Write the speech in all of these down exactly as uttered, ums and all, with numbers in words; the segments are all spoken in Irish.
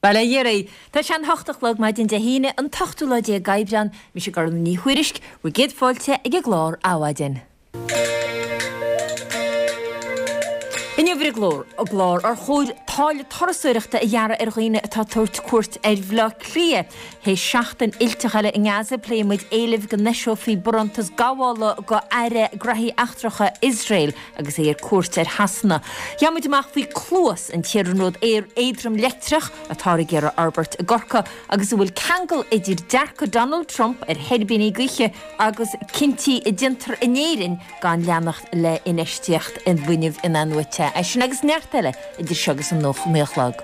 Bail ó Dhia oraibh. Tá sé an hocht a chlog maidin Dé hAoine, an t-ochtú lá déag Aibreán, mise Gormfhlaith Ní Thuairisg, bhur gcéad fáilte ag an gclár Adhmhaidin. Inniu ar an gclár, ar chóir táille turasóireachta a ghearradh ar dhaoine atá ag tabhairt cuairt ar Bhaile Átha Cliath. Théis seachtain fhuilteach eile i nGaza, pléifidh muid éilimh go n-eiseofaí barántas gabhála go Aire Graithí Eachtracha Iosrael agus é ar cuairt ar Shasana. Gheobhaidh muid amach faoi Cluas, an t-iarnród aeir éadrom leictreach atáthar ag iarraidh a fhorbairt i gCorcaigh agus an bhfuil ceangal idir dearcadh Donald Trump ar thuirbíní gaoithe agus cinntí a déantar in Éirinn gan leanacht le infheistíocht i bhfuinneamh in-athnuaite. É sin agus neart eile idir seo agus an naoi a chlog.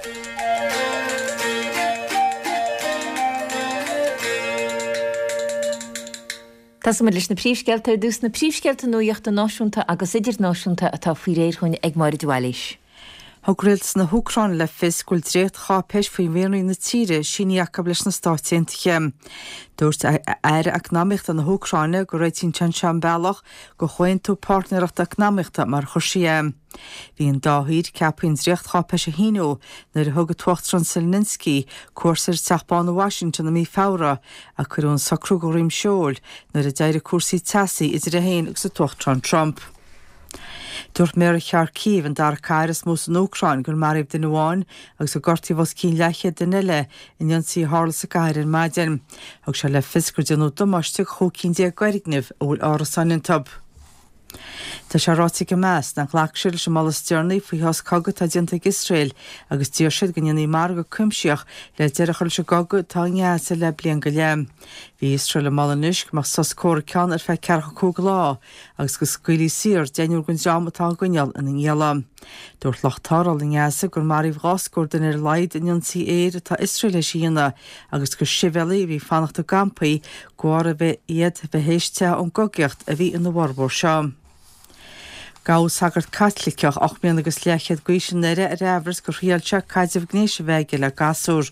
Tosóidh muid leis na príomhscéalta ar dtús, na príomhscéalta nuachta náisiúnta agus idirnáisiúnta atá faoi réir dhúinn ag Máire de Bhailís. Thug rialtas na hÚcráine le fios go bhfuil dréachtcháipéis faoi mhianraí na tíre sínithe acu leis na Stáit Aontaithe. Dúirt Aire Eacnamaíochta na hÚcráine go réitíonn sé seo an bealach go chomhaontú páirtnéireachta eacnamaíochta mar a chuir sí é. Bhí an dá thír ceaptha an dréachtcháipéis a shíniú nuair a thug an tUachtarán Zelensky cuairt ar an Teach Bán i Washington i mí Feabhra ach cuireadh an socrú de dhroim seoil nuair a d'éirigh cúrsaí teasaí idir é féin agus an tUachtarán Trump. Dúirt Méara Kharkiv, an dara cathair is mó san Úcráin, gur maraíodh duine amháin agus gur gortaíodh os cionn leathchéad duine eile in ionsaí a tharla sa gcathair ar maidin. Thug sé le fios gur déanadh damáiste do chúig cinn déag d'fhoirgnimh a bhfuil árasáin iontu. Tá sé ráite ag Hamas nach nglacfaidh siad leis an moladh is deireanaí faoi shos cogaidh atá déanta ag Iosrael agus d'iarr siad go ndéanfaí margadh cuimsitheach le deireadh a chur leis an gcogadh atá i nGaza le bliain go leith. Bhí Iosrael ag moladh anois go mbeadh sos comhraic ann ar feadh ceathracha cúig lá agus go scaoilfí saor deichniúr den dream atá á gcoinneáil ina ngialla. Dúirt lucht tarrthála i nGaza gur maraíodh dhá scór duine ar a laghad in ionsaí aeir atá Iosrael théis a dhéanamh agus gur sibhialaigh a bhí ag fanacht i gcampaí de bharr a bheith iad a bheith théis teitheadh ón gcogaíocht a bhí ina bhformhór seo. Gabhadh sagart Caitliceach ocht mbliana agus leathchéad d'aois i nDoire ar amhras gur thriail sé caidreamh gnéis a bheith aige le gasúr.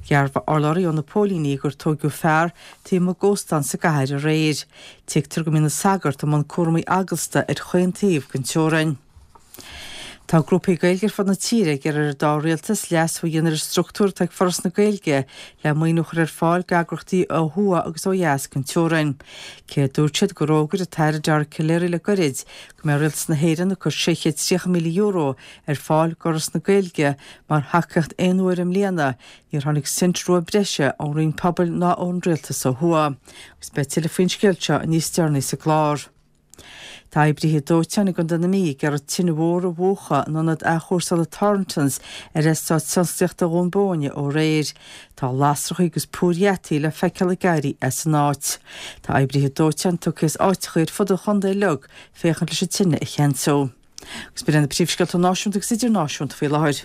Dhearbhaigh urlabhraí ó na póilíní gur tóigeadh fear taobh amuigh d'óstán sa gcathair aréir. Tuigtear go mbíonn an sagart i mbun cúramaí eaglasta ar chaon taobh den teorainn. Tá grúpaí Gaeilge ar fud na tíre ag iarraidh ar an dá rialtas leasú a dhéanamh ar an struchtúr atá ag Foras na Gaeilge le maoiniú a chur ar fáil d'eagraíochtaí ó thuaidh agus ó dheas den teorainn. Cé a dúirt siad gur fhógair an tAire Dara Calleary le goirid go mbeidh Rialtas na hÉireann ag cur sé chéad tríocha míle euro ar fáil d'Fhoras na Gaeilge mar thacaíocht aon uaire i mbliana, níor tháinig sint rua breise ón Roinn Pobail ná ón Rialtas ó thuaidh. Agus beidh tuilleadh faoin scéal seo níos deireanaí sa gclár. Tá oibrithe dóiteáin i gContae na Mí ag iarraidh tine mhór a mhúchadh in ionad athchúrsála Thorntons ar Eastát Tionsclaíochta Dhún Bóinne ó aréir. Tá lasracha agus púir gheataí le feiceáil ag éirí as an áit. Tá oibrithe dóiteáin tugtha as áiteacha ar fud an chontae uilig féachaint leis an tine a cheansú. Agus b'in iad na príomhscéalta náisiúnta agus idirnáisiúnta faoi láthair.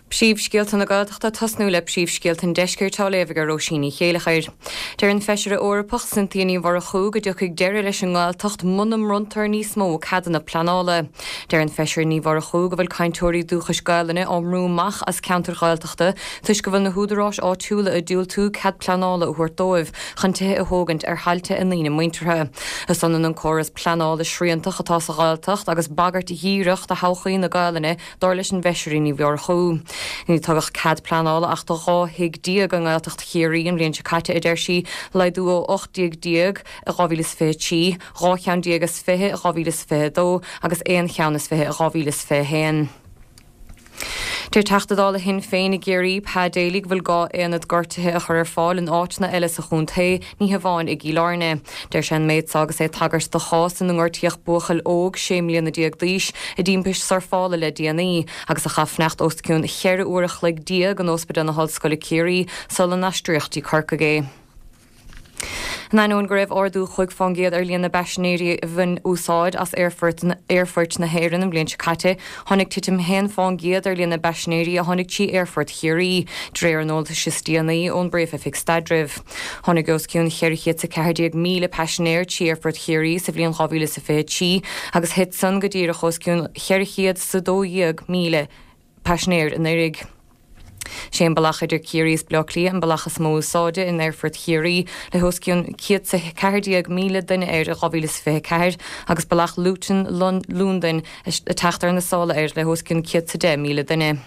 Príomhscéalta na Gaeltachta tosnú le príomhscéalta an Deiscirt á léamh ag Róisín Ní Chéilleachair. Deir an Feisire Eorpach Cynthia Ní Mhurchú go dtiocfaidh deireadh leis an nGaeltacht muna mbronntar níos mó ceadanna pleanála. Deir an Feisire Ní Mhurchú go bhfuil cainteoirí dúchais Gaelainne á mbrú amach as ceantair Ghaeltachta toisc go bhfuil na húdaráis áitiúla ag diúltú cead pleanála a thabhairt dóibh chun tithe a thógaint ar thailte a ndaoine muinteartha. Is ionann an córas pleanála sriantach atá sa Ghaeltacht agus bagairt dhíreach do thodhchaí na Gaelainne dar leis an bhFeisire Ní Mhurchú. Níor tugadh cead pleanála ach do dhá thigh déag i nGaeltacht Chiarraí an bhliain seo caite, a deir sí, laghdú ó ocht dtigh déag i dhá mhíle is fiche a trí, dhá cheann déag is fiche i dhá mhíle is fiche a dó agus aon cheann is fiche i dhá mhíle is fiche a haon. Deir Teachta Dála Shinn Féin i gCiarraí, Pa Daly, go bhfuil gá aonad gortaithe a chur ar fáil in áiteanna eile sa chontae, ní hamháin i gCill Airne. Deir sé an méid seo agus é ag tagairt do chás ina ngortaíodh buachaill óg sé mbliana déag d'aois i dtimpist surfála le déanaí agus a chaith fanacht os cionn cheithre uair a chloig déag in Ospidéal na hOllscoile Ciarraí sula n-aistríodh dtí Corcaigh é. In ainneoin go raibh ardú chúig fán gcéad ar líon na bpaisinéirí a bhain úsáid as aerfoirt na hÉireann an bhliain seo caite, tháinig titim haon fán gcéad ar líon na bpaisinéirí a tháinig trí Aerfort Chiarraí, de réir an eolais is déanaí ón bPríomh-Oifig Staidrimh. Tháinig os cionn cheithre chéad is a ceathair déag míle paisinéir trí Aerfort Chiarraí sa bhliain dhá mhíle is a fiche a trí agus thit san go díreach os cionn cheithre chéad is a dó dhéag míle paisinéir anuraidh. Sé an bealach idir Ciarraí is Baile Átha Cliath an bealach is mó úsáide in Aerfort Chiarraí le os cionn céad is a ceathair déag míle duine air i dhá mhíle is fiche a ceathair agus bealach Luton, Londain ag teacht ar na sála air le os cionn céad is a deich míle duine.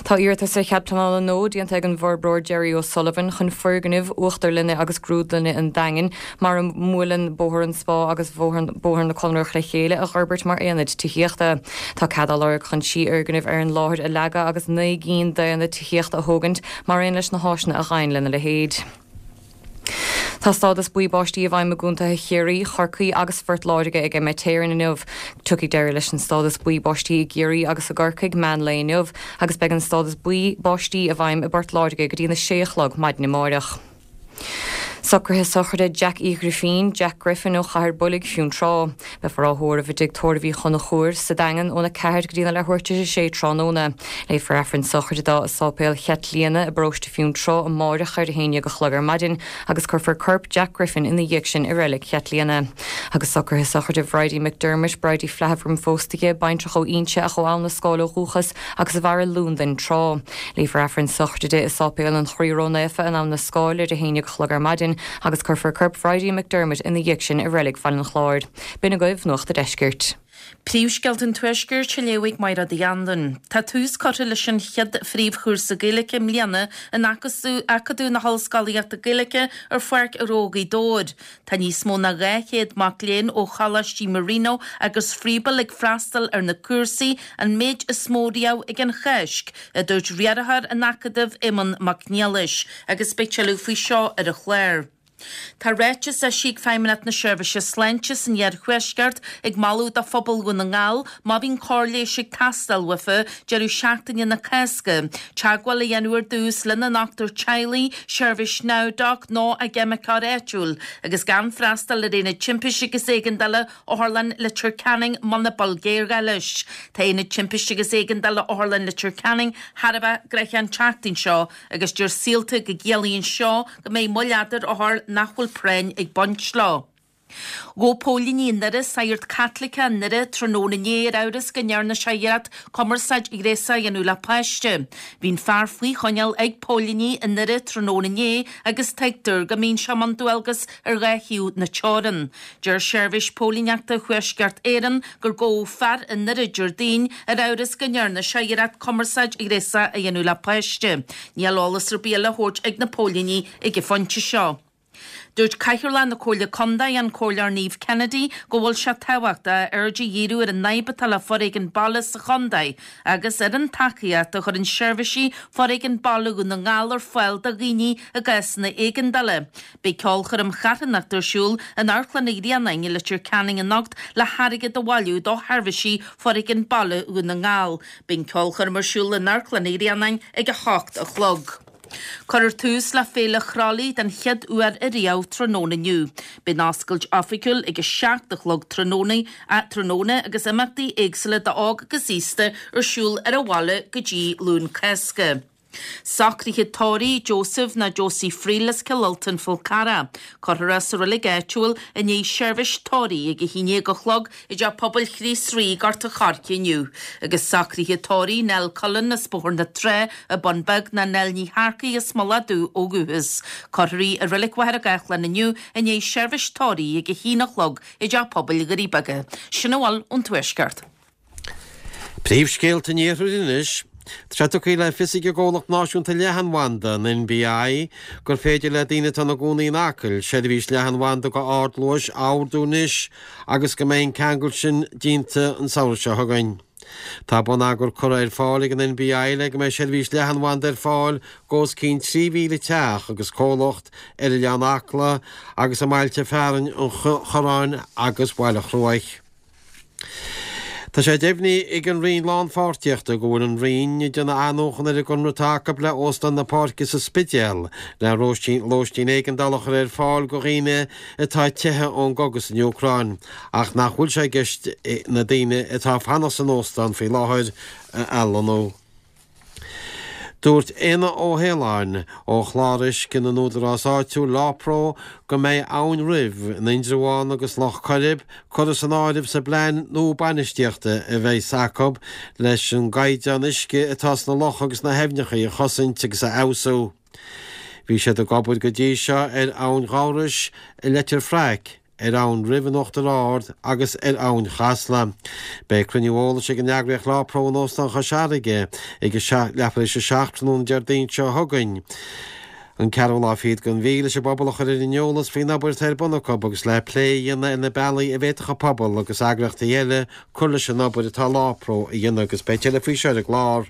Tá iarratas ar chead pleanála nua déanta ag an bhforbróir Jerry O'Sullivan chun foirgnimh uachtarlainne agus grúdlainne an Daingin mar a mbuaileann Bóthar an Spá agus Bóthar na Conrach le chéile a fhorbairt mar aonad tithíochta. Tá cead á lorg chun trí fhoirgneamh ar an láthair a leagadh agus naoi gcinn d'aonaid tithíochta a thógaint mar aon leis na háiseanna a ghabhann lena leithéid. Tá stádas buí báistí i bhfeidhm i gcontaetha Chiarraí, Chorcaí agus Phort Láirge ag Met Éireann inniu. Tiocfaidh deireadh leis an stádas buí báistí i gCiarraí agus i gCorcaigh meán lae inniu agus beidh an stádas buí báistí i bhfeidhm i bPort Láirge go dtí na sé a chlog maidin amárach. Socruithe sochraide Jack Uí Ghrifín, Jack Griffin ó Chathair Boilg Fionntrá. Beifear á thórramh i dtigh tórraimh Uí Chonchúir sa Daingean óna ceathair go dtí na leathuair tar éis a sé tráthnóna. Léifear Aifreann sochraide dó i Sáipéal Chaitlíona i bparóiste Fionntrá amáireach ar a haon déag a chlog ar maidin agus cuirfear corp Jack Griffin ina dhiaidh sin i reilig Chaitlíona. Agus socruithe sochraide Bridie McDermott, Bridie Flaithbhram phóstaige, baintreach ó Inse ach ó Abhainn na Scáil ó dhúchas agus a mhair i Londain tráth. Léifear Aifreann sochraide di i Sáipéal an Chroí Ró-Naofa in Abhainn na Scáil ar a haon déag a chlog ar maidin agus cuirfear corp Bridie McDermott ina dhiaidh sin i reilig Bhaile an Chláir. B'in agaibh Nuacht an Deiscirt. Príomhscéalta an Tuaiscirt á léamh ag Máire Uí Anluain. Tá tús curtha leis an chéad phríomhchúrsa Gaeilge i mbliana in Acadamh na hOllscolaíochta Gaeilge ar Pháirc Ghnó Ghaoth Dobhair. Tá níos mó ná dhá chéad mac léinn ó Choláistí Marino agus Froebel ag freastal ar na cúrsaí, an méid is mó riamh ag an Cháisc, a dúirt riarthóir an Acadaimh Éamonn Mac Niallais, agus beidh tuilleadh faoi seo ar an chlár. Tá ráiteas eisithe ag Feidhmeannacht na Seirbhíse Sláinte san Iarthuaisceart ag moladh do phobal Dhún na nGall má bhíonn cóir leighis ag teastáil uafa deireadh seachtaine na Cásca, teagmháil a dhéanamh ar dtús lena ndochtúir teaghlaigh, seirbhís NowDoc nó a gceimiceoir áitiúil, agus gan freastal ar Aonad Timpiste agus Éigeandála Otharlann Leitir Ceanainn muna bhfuil géarghá leis. Tá Aonad Timpiste agus Éigeandála Otharlann Leitir Ceanainn thar a bheith gnoitheach an tseachtain seo agus deir Saolta go gciallaíonn seo go mbeidh moill fhada ar othair nach bhfuil práinn ag baint leo. Ghabh póilíní i nDoire sagart Caitliceach i nDoire tráthnóna inné ar amhras go ndearna sé iarracht cumarsáid ghréasach a dhéanamh le páiste. Bhí an fear faoi choinneáil ag póilíní i nDoire tráthnóna inné agus tuigtear go mbíonn sé i mbun dualgas ar dhá thaobh na teorann. Deir Seirbhís Póilíneachta Thuaisceart Éireann gur gabhadh fear i nDoire Déardaoin ar amhras go ndearna sé iarracht cumarsáid ghréasach a dhéanamh le páiste. Níl eolas ar bith eile á thabhairt ag na póilíní ag an phointe seo. Dúirt Cathaoirleach na Comhairle Contae, an Comhairleoir Niamh Kennedy, go bhfuil sé tábhachtach aird a dhíriú ar an fhadhb atá le foréigean baile sa chontae agus ar an tacaíocht a chuireann seirbhísí foréigean baile Dhún na nGall ar fáil do dhaoine i gcásanna éigeandála. Beidh ceolchoirm charthanachta ar siúl in Amharclann an Ghrianáin i Leitir Ceanainn anocht le hairgead a bhailiú do sheirbhísí foréigean baile Dhún na nGall. Beidh an ceolchoirm ar siúl in Amharclann an Ghrianáin ag a hocht a chlog. Cuirfear tús le Féile Chroithlí den chéad uair ariamh tráthnóna inniu. Beidh an oscailt oifigiúil ag a seacht a chlog tráthnóna tráthnóna agus imeachtaí éagsúla d'óg agus aosta ar siúl ar an bhaile go dtí Luan Cásca. Socruithe tórraimh Joseph nó Josie Friel as Cill Ultain Fál Carrach. Cuirfear é sa reilig áitiúil i ndiaidh seirbhís tórraimh ag a haon déag a chlog i dTeach Pobail Chríost Rí, Gort an Choirce inniu. Agus socruithe tórraimh Nell Cullen as Bóthar na Trá i Bun Beag nó Nell Ní Shearcaigh as Mullach Dubh ó dhúchas. Cuirfear í i reilig Mhachaire Gathlán inniu i ndiaidh seirbhís tórraimh ag a haon a chlog i dTeach Pobail Dhoirí Beaga. Sin a bhfuil ón Tuaisceart. Príomhscéalta an Iarthair anois. Tá sé tugtha le fios ag an gcomhlacht náisiúnta leathanbhanda, an NBI, gur féidir le daoine atá ina gcónaí in Acaill seirbhís leathanbhanda go ardluais a ordú anois agus go mbeidh an ceangal sin déanta an samhradh seo chugainn. Tá bonneagar curtha ar fáil ag an NBI le go mbeidh seirbhís leathanbhanda ar fáil go os cionn trí mhíle teach agus comhlacht ar oileán Acla agus i mbailte fearainn an Chorráin agus Bhaile Chruaich. Tá sé deimhnithe ag an Roinn Lánpháirtíochta go bhfuil an Roinn ag déanamh athnuachan ar an gconradh atá acu le Óstán na Páirce sa Spidéal le lóistín éigeandála a chur ar fáil go dhaoine atá ag teitheadh ón gcogadh san Úcráin ach nach bhfuil sé i gceist na daoine atá ag fanacht san óstán faoi láthair a athlonnú. Dúirt Éanna Ó hAoláin ó Chlár Uisce na nÚdarás Áitiúil, Lápro, go mbeidh Abhainn Roimh in Indreabhán agus Loch Coirib curtha san áireamh sa bplean nua bainistíochta a bheas acu leis an gcaighdeán uisce atá sna locha agus na haibhneacha a chosaint agus a fheabhsú. Bhí siad ag obair go dtí seo ar Abhainn Dhamhrois i Leitir Fraic, ar Abhainn Roimh in Uachtar Ard agus ar Abhainn Chasla. Beidh cruinniú eolais ag an eagraíocht Lá Pro in Óstán Chois Fharraige ag a leathuair tar éis a seacht tráthnóna Déardaoin seo chugainn. An ceathrú lá fichead den mhí leis an bpobal a chur ar an eolas faoin obair atá ar bun acu agus le plé a dhéanamh ar na bealaí a bhféadfadh an pobal agus eagraíochtaí eile cur leis an obair atá Lá Pro a dhéanamh agus beidh tuilleadh faoi seo ar an gclár.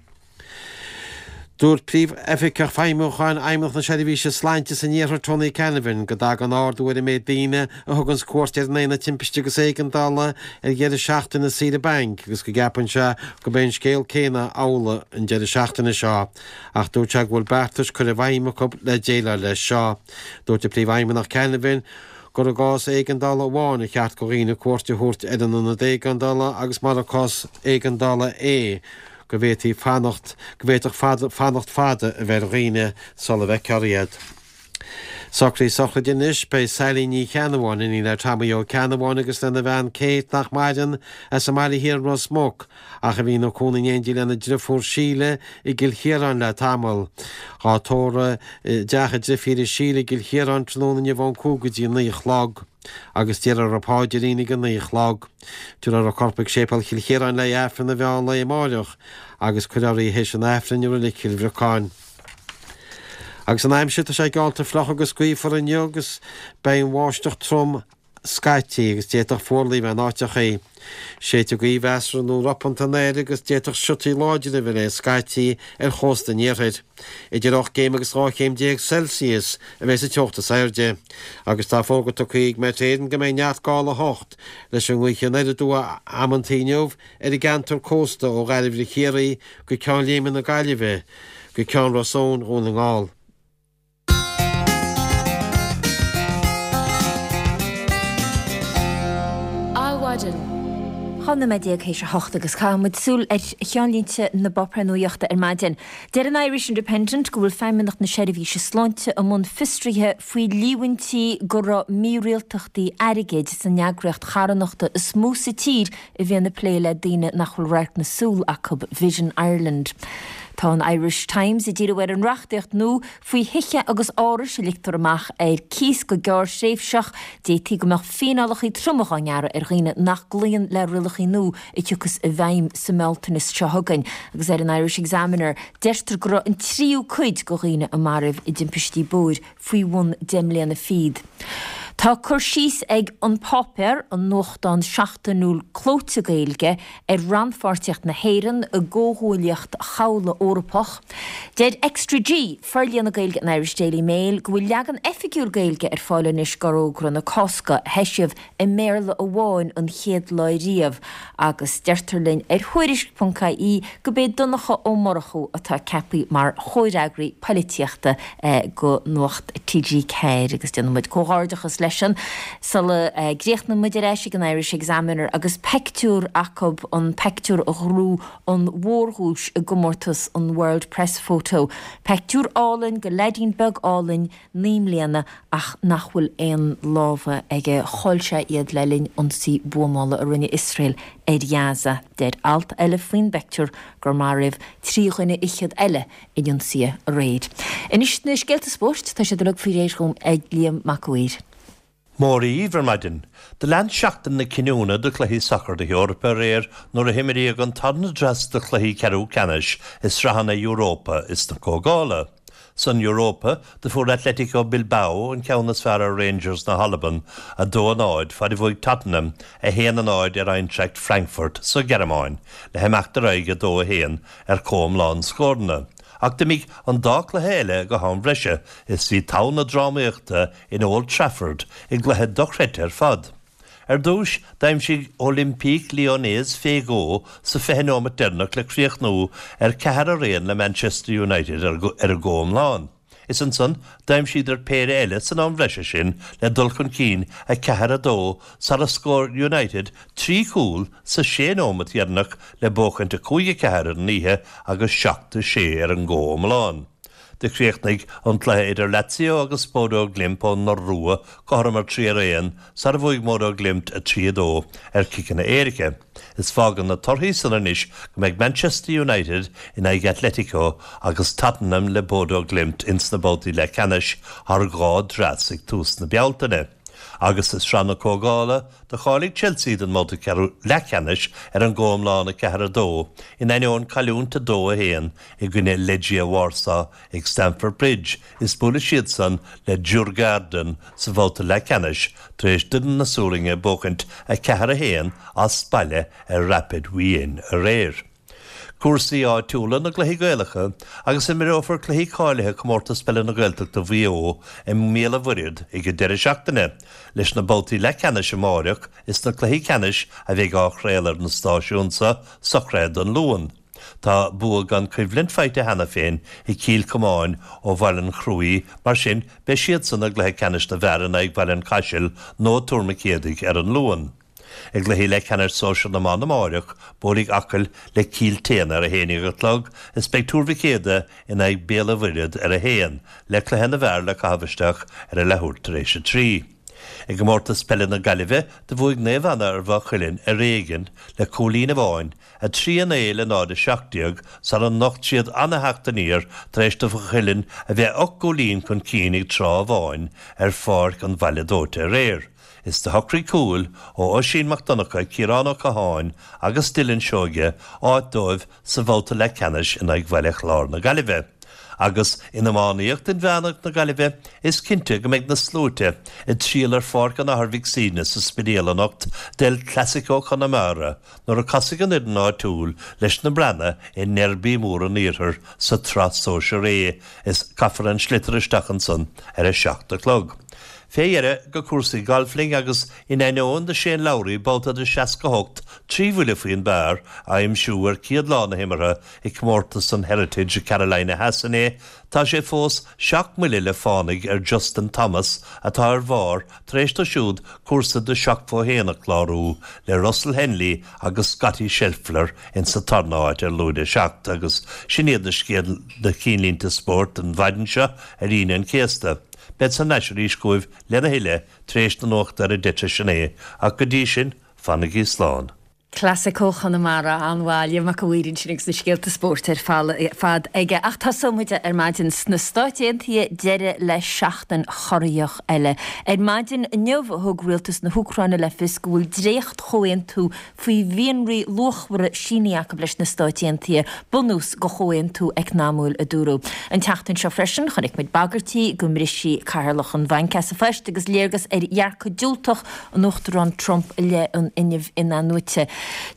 Dúirt Príomhoifigeach Feidhmiúcháin Fheidhmeannacht na Seirbhíse Sláinte san Iarthar Tony Canavan go dtagann ardú ar an méid daoine a thuganns cuairt ar an Aonad Timpiste agus Éigeandála ar dheireadh seachtaine saoire bainc agus go gceapann sé go mbeidh an scéal céanna amhlaidh an deireadh seachtaine seo. Ach dúirt sé go bhfuil beartais curtha i bhfeidhm acu le déileáil leis seo. Dúirt an Príomhfheidhmeannach Canavan gur i gcás éigeandála amháin a cheart do dhaoine cuairt a thabhairt ar an ionad éigeandála agus mura cás éigeandála é go bhféadfaí fanacht, go bhféadfadh fanacht fada a bheith ar dhaoine sula bhfeicfear iad. Socruithe sochraide anois, beidh Sally Ní Cheannabháin, iníon le Tommy Ó Ceannabháin agus lena bhean Kate nach maireann, as an mBaile Thiar i Ros Muc, ach a bhí ina cónaí in éindí lena driofúr Síle i gCill Chiaráin le tamall. Dhá tórramh i dteach a drifíre Síle i gCill Chiaráin tráthnóna inniu ón cúig go dtí a naoi a chlog agus déarfar an páidrín ag a naoi a chlog. Tabharfar a corp ag Séipéal Chill Chiaráin le Aifreann an mheán lae amáireach agus cuirfear í théis an Aifrinn i Reilig Chill Bhriocáin. Agus an aimsir, tá sé geallta fliuch agus gaofar inniu agus beidh an bháisteach trom scaití agus d'fhéadfadh fuarlaigh a bheith in áiteachaí. Séidfidh gaoth mheasartha nó ropanta anoir agus d'fhéadfadh siotaí láidre a bheith léi scaití ar chósta an iarthair. Idir ocht gcéim agus dhá chéim déag Celsius a bheidh sa teocht is airde. Agus tá fógra tugtha ag Met Éireann go mbeidh neart gála a hocht leis an ngaoth anoir aduaidh amantaí inniu ar an gceantar cósta ó Ghairbhre Chiarraí go Ceann Léime na Gaillimhe go Ceann Ros Eoin Dhún na nGall. Adhmhaidin. Dhá nóiméad déag théis a hocht agus caithfidh muid súil ar cheannlínte na bpáipéar nuachta ar maidin. Deir an Irish Independent go bhfuil Feidhmeannacht na Seirbhíse Sláinte i mbun fiosraithe faoi líomhaintí go raibh mírialtachtaí airgid san eagraíocht charthanachta is mó sa tír a bhíonn ag plé le daoine nach bhfuil radharc na súl acu, Vision Ireland. Tá an Irish Times ag díriú ar an reachtaíocht nua faoi thithe agus árais a ligtear amach ar cíos go gearrthréimhseach. D'fhéadfaí go mbeadh fíneálacha troma á ngearradh ar dhaoine nach gcloíonn le rialacha nua a thiocfas i bhfeidhm sa mBealtaine seo chugainn. Agus ar an Irish Examiner, deirtear go raibh an tríú cuid de dhaoine a maraíodh i dtimpistí bóthair faoi bhun deich mbliana fichead. Tá cur síos ag An Páipéar, an nuachtán seachtainiúil clóite Gaeilge, ar rannpháirtíocht na hÉireann i gComhghuaillíocht Chabhlaigh Eorpach. Deir Extra G, forlíonadh Gaeilge an Irish Daily Mail, go bhfuil leagan oifigiúil Gaeilge ar fáil anois d'Fhorógra na Cásca, a heisíodh i mBéarla amháin an chéad lá riamh, agus deirtear linn ar Thuairisc ponc ie gurb é Donncha Ó Murchú atá ceaptha mar chomhfhreagraí poilitíochta do Nuacht T G ceathair agus déanann muid comhghairdeachas leisean sula gcríochnaíonn muid ar ais ag an Irish Examiner agus peictiúr acu, an peictiúr a ghnóthaigh an mhórdhuais i gcomórtas an World Press Photo. Peictiúr álainn de leaidín beag álainn naoi mbliana ach nach bhfuil aon lámha aige. Chaill sé iad le linn ionsaí buamála a rinne Iosrael ar Ghaza. Deir alt eile faoin bpeictiúr gur maraíodh trí dhuine fhichead eile in ionsaithe aréir. Anois na scéalta spóirt, tá siad uilig faoi réir dhom ag Liam Mac a' Mhaoir. Móra dhíbh ar maidin. Do lean seachtain na cinniúna do chluichí sacair na hEorpa aréir nuair a himríodh an tarna dreas de chluichí ceathrú ceannais i sraitheanna Europa is na Comhdhála. San Europa, do fuair Atletico Bilbao an ceann is fearr ar Rangers na hAlban, a dó a náid, fad a bhuaigh Tottenham a haon a náid ar Eintracht Frankfurt sa Ghearmáin, le himeacht ar aghaidh a dó a haon ar chomhiomlán scóranna. Ach d'imigh an dá chluiche eile go ham breise is bhí togha na drámaíochta in Old Trafford i gcluiche dochreidte ar fad. Ar dtús, d'aimsigh Olympique Lyonnais fé dhó sa fiche nóimeat deireanach le críochnú ar ceathair ar aon le Manchester United ar an gcomhiomlán. Is ansan, d'aimsíodar péire eile san am bhreise sin le dul chun cinn a ceathair a dó sara scór United trí chúl sa sé nóimeat dheireanach le buachaint a cúig a ceathair ar an oíche agus seacht a sé ar an gcomhiomlán. Do chríochnaigh an cluiche idir Lazio agus Bodo Glimt ón Iorua cothrom ar trí ar aon sara bhuaigh Bodo Glimt a trí a dó ar chiceanna éirice. Is fágann na torthaí san anois go mbeidh Manchester United in aghaidh Atletico agus Tottenham le Bodo Glimt ins na babhtaí leathcheannais thar dhá dhreas ag tús na Bealtaine. Agus i Sraith na Comhdhála, do cháiligh Chelsea don mbabhta ceathrú leathcheannais ar an gcomhiomlán a ceathair a dó, in ainneoin cailliúint a dó a haon i gcoinne Legia Warsaw ag Stamford Bridge is buailfidh siadsan le Djurgården sa bhabhta leathcheannais tar éis d'fhoireann na Sualainne buachaint a ceathair a haon as baile ar Rapid Wien aréir. Cúrsaí áitiúla na gcluichí Gaelacha agus imreofar cluichí cáilithe Comórtas Peile na Gaeltachta Mhaigh Eo i mBéal an Mhuirthead ag an deireadh seachtaine, leis na babhtaí leathcheannais amáireach is na cluichí ceannais a bheidh á chraoladh ar na stáisiúin seo socraithe don Luan. Tá bua gan choimhlint faighte cheana féin ag Cill Chomáin ó Bhaile an Chruaich, mar sin beidh siadsan i gcluiche ceannais na bhfear in aghaidh Bhaile an Chaisil nó Tuar Mhic Éadaigh ar an Luan. I gcluichí leathcheannais sóisir na mban amáireach, buailfidh Acaill le Cill tSéadhna ar a haon déag a chlog is beidh Tuar Mhic Éadaigh in aghaidh Béal an Mhuirthead ar a haon, le cluiche na bhfear le caitheamh isteach ar a leathuair tar éis a trí. I gcomórtas peile na Gaillimhe, do bhuaigh Naomh Anna ar Mhaigh Cuilinn ar éigean le cúilín amháin, a trí a naoi le náid a seacht déag, sara nocht siad ana-theacht aniar tar éis do Mhaigh Cuilinn a bheith ocht gcúilín chun cinn ag tráth amháin ar pháirc an Bhaile Dóite aréir. Is do shocraigh cúil ó Oisín Mac Donncha, Ciarán Ó Catháin agus Dylan Seoige áit dóibh sa bhabhta leathcheannais in aghaidh Bhaile Chláir na Gaillimhe. Agus in iománaíocht inmheánach na Gaillimhe, is cinnte go mbeidh na sluaite ag triall ar Pháirc an Athar Mhic Suibhne sa Spidéal anocht d'El Clasico Chonamara nuair a casfaidh an fhoireann áitiúil leis na Breathnaigh i ndeirby mór an Iarthair sa tSraith Sóisear A is caithfear an sliotar isteach ansan ar a seacht a chlog. Fé dheireadh go cúrsaí gailf linn agus in ainneoin do Shane Lowry babhta de seasca hocht, trí bhuille faoin bpar, a aimsiú ar chéad lá na himeartha i gcomórtas an Heritage i Carolina Theas inné, tá sé fós seacht mbuille le fánaidh ar Justin Thomas atá ar bharr tar éis dó siúd cúrsa de seachtó a haon a chlárú le Russell Henley agus Scottie Scheffler insa tarna háit ar lúide seacht agus sin iad na scéal na cinnlínte spóirt don mhaidin seo ar Aoine an Chéasta. Bead thar n-ais arís chugaibh lena thuilleadh tar éis na nuachta ar a deich tar éis a naoi, ach go dtí sin, fanaigí slán. Clasico Chonamara, an-mhaith, Liam Mac a' Mhaoir ansin agus na scéalta spóirt ar fad aige. Ach tosóidh muid ar maidin sna Stáit Aontaithe, deireadh le seachtain chorraitheach eile. Ar maidin inniu thug rialtas na hÚcráine le fios go bhfuil dréacht-chomhaontú faoi mhianraí luachmhara sínithe acu leis na Stáit Aontaithe, bunús do chomhaontú eacnamúil, a dúradh. An tseachtain seo freisin, chonaic muid bagairtí go mbrisfí Cathaoirleach an Bhainc as a phost agus léargas ar dhearcadh diúltach an Uachtaráin Trump i leith an fhuinnimh in-athnuaite.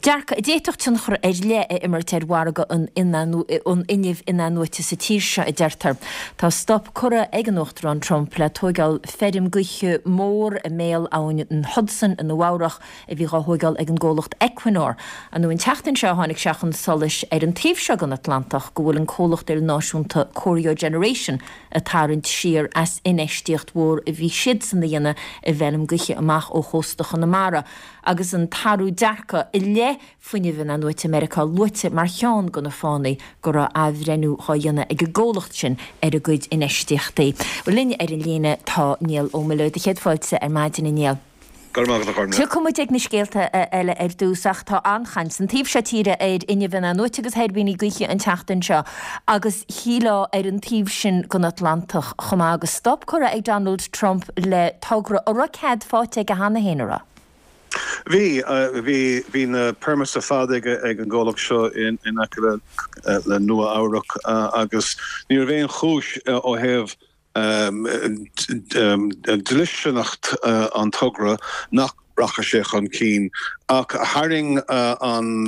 Dearcadh a d'fhéadfadh tionchar ar leith a imirt ar mhargadh an fhuinnimh in-athnuaite sa tír seo, a deirtear. Tá stop curtha ag an Uachtarán Trump le tóigeáil feirm gaoithe mór i mbéal abhainn an Hudson i Nua Eabhrach, a bhí dhá thóigeáil ag an gcomhlacht Equinor. Ar ndóigh an tseachtain seo tháinig sé chun solais ar an taobh seo den Atlantach go bhfuil an comhlacht ilnáisiúnta Corio Generation ag tarraingt siar as infheistíocht mhór a bhí siadsan a dhéanamh i bhfeirm gaoithe amach ó chósta Chonamara agus an t-athrú dearcadh i leith fuinneamh in-athnuaite i Meiriceá luaite mar cheann de na fáthanna go raibh athbhreithniú dhá dhéanamh ag an gcomhlacht sin ar a gcuid infheistíochtaí. Linn ar an líne tá Niall Ó Muilleoir. Do chéad fáilte ar maidin, a Néill. Go raibh maith agat, a Chormac. Tiocfaidh muid ag na scéalta eile ar dtús ach tá an-chaint san taobh seo tíre ar fhuinneamh in-athnuaite agus thuirbíní gaoithe an tseachtain seo agus shílfeá ar an taobh sin den Atlantach chomh maith agus stop curtha ag Donald Trump le togra a raibh cead faighte aige cheana féin, a raibh? Bhí, bhí, bhí na permits ar fad ag an gcomhlacht seo in aice le Nua Eabhrac agus ní raibh aon chúis ó thaobh dlisteanacht an togra nach rachadh sé chun cinn, ach tharraing an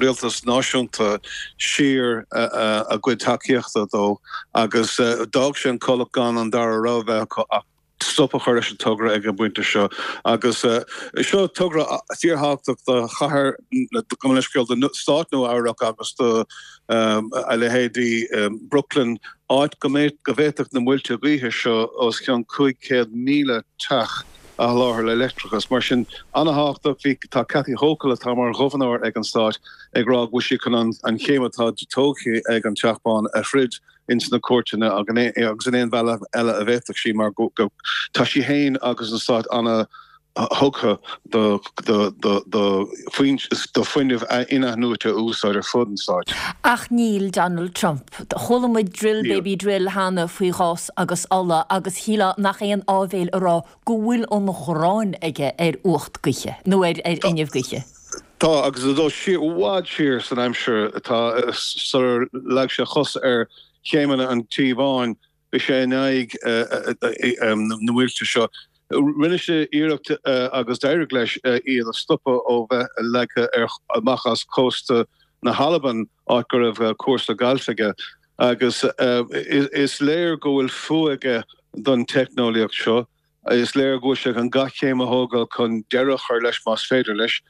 rialtas náisiúnta siar a gcuid tacaíochta dó agus d'fhág sé an comhlacht gan an dara rogha bheith acu ach stop a chur leis an togra ag an bpointe seo. Agus seo togra fíorthábhachtach do chathair, gabh mo leithscéal, do stát Nua Eabhrac agus do a leithéidí Brooklyn, áit go bhféadfadh na muilte gaoithe seo os cionn cúig chéad míle teach a sholáthar le leictreachas. Mar sin, an-thábhachtach. Bhí, tá Kathy Hochul, atá mar ghobharnóir ag an stát, ag rá go bhfuil sí chun an chéim atá tógtha ag an Teach Bán a throid ins na cúirteanna agus in aon bhealach eile a bhféadfadh sí mar go tá sí féin agus an stát ana thugtha do do fuinneamh in-athnuaite a úsáid ar fud an stáit. Ach níl Donald Trump. Chuala muid drill baby drill cheana faoi ghás agus ola agus shílfeá nach aon áibhéil a rá go bhfuil an ghráin aige ar fhuacht gaoithe nó ar fhuinneamh gaoithe. Tá, agus ag dul siar, i bhfad siar san aimsir atá sular leag sé a chos ar chéimeanna an Tí Bháin, bhí sé in aghaidh na muilte seo. Rinne sé iarracht agus d'éirigh leis iad a stopadh ó bheith leagtha amach as cósta na hAlban, áit go raibh cúrsa gailf aige. Agus is léir go bhfuil fuath aige don teicneolaíocht seo. Is léir go bhfuil sé chun gach céim a thógáil chun deireadh a chur leis más féidir leis.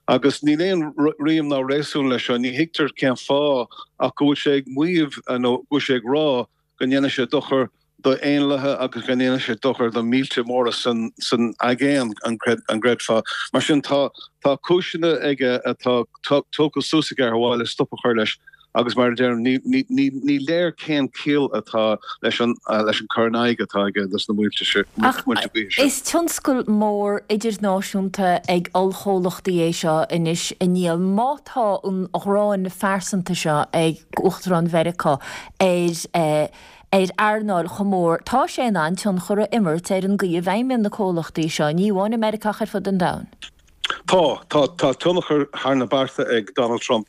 Agus níl aon rím ná réasún leis seo, ní thuigtear cén fáth ach go bhfuil sé ag maíomh nó go bhfuil sé ag rá go ndéanfaidh sé dochar do éanlaithe agus go ndéanfaidh sé dochar do mhílte móra san aigéan, an gcreidfeá? Mar sin tá tá cúiseanna aige atá tógtha suas aige ar mhaithe le stop a chur leis agus mar a deirim ní léir cén chiall atá leis an leis an cur in aghaidh atá aige dos na muilte gaoithe seo. Is tionscal mór idirnáisiúnta ag ollchomhlachtaí é seo anois a Niall. Má tá an ghráin phearsanta seo ag Uachtarán Mheiriceá ar ar earnáil chomh mór, tá sé in ann tionchar a imirt ar an gcaoi a bhfeidhmíonn na comhlachtaí seo, ní amháin i Meiriceá ach ar fud an domhain. Tá, tá, tá tionchar thar na bearta ag Donald Trump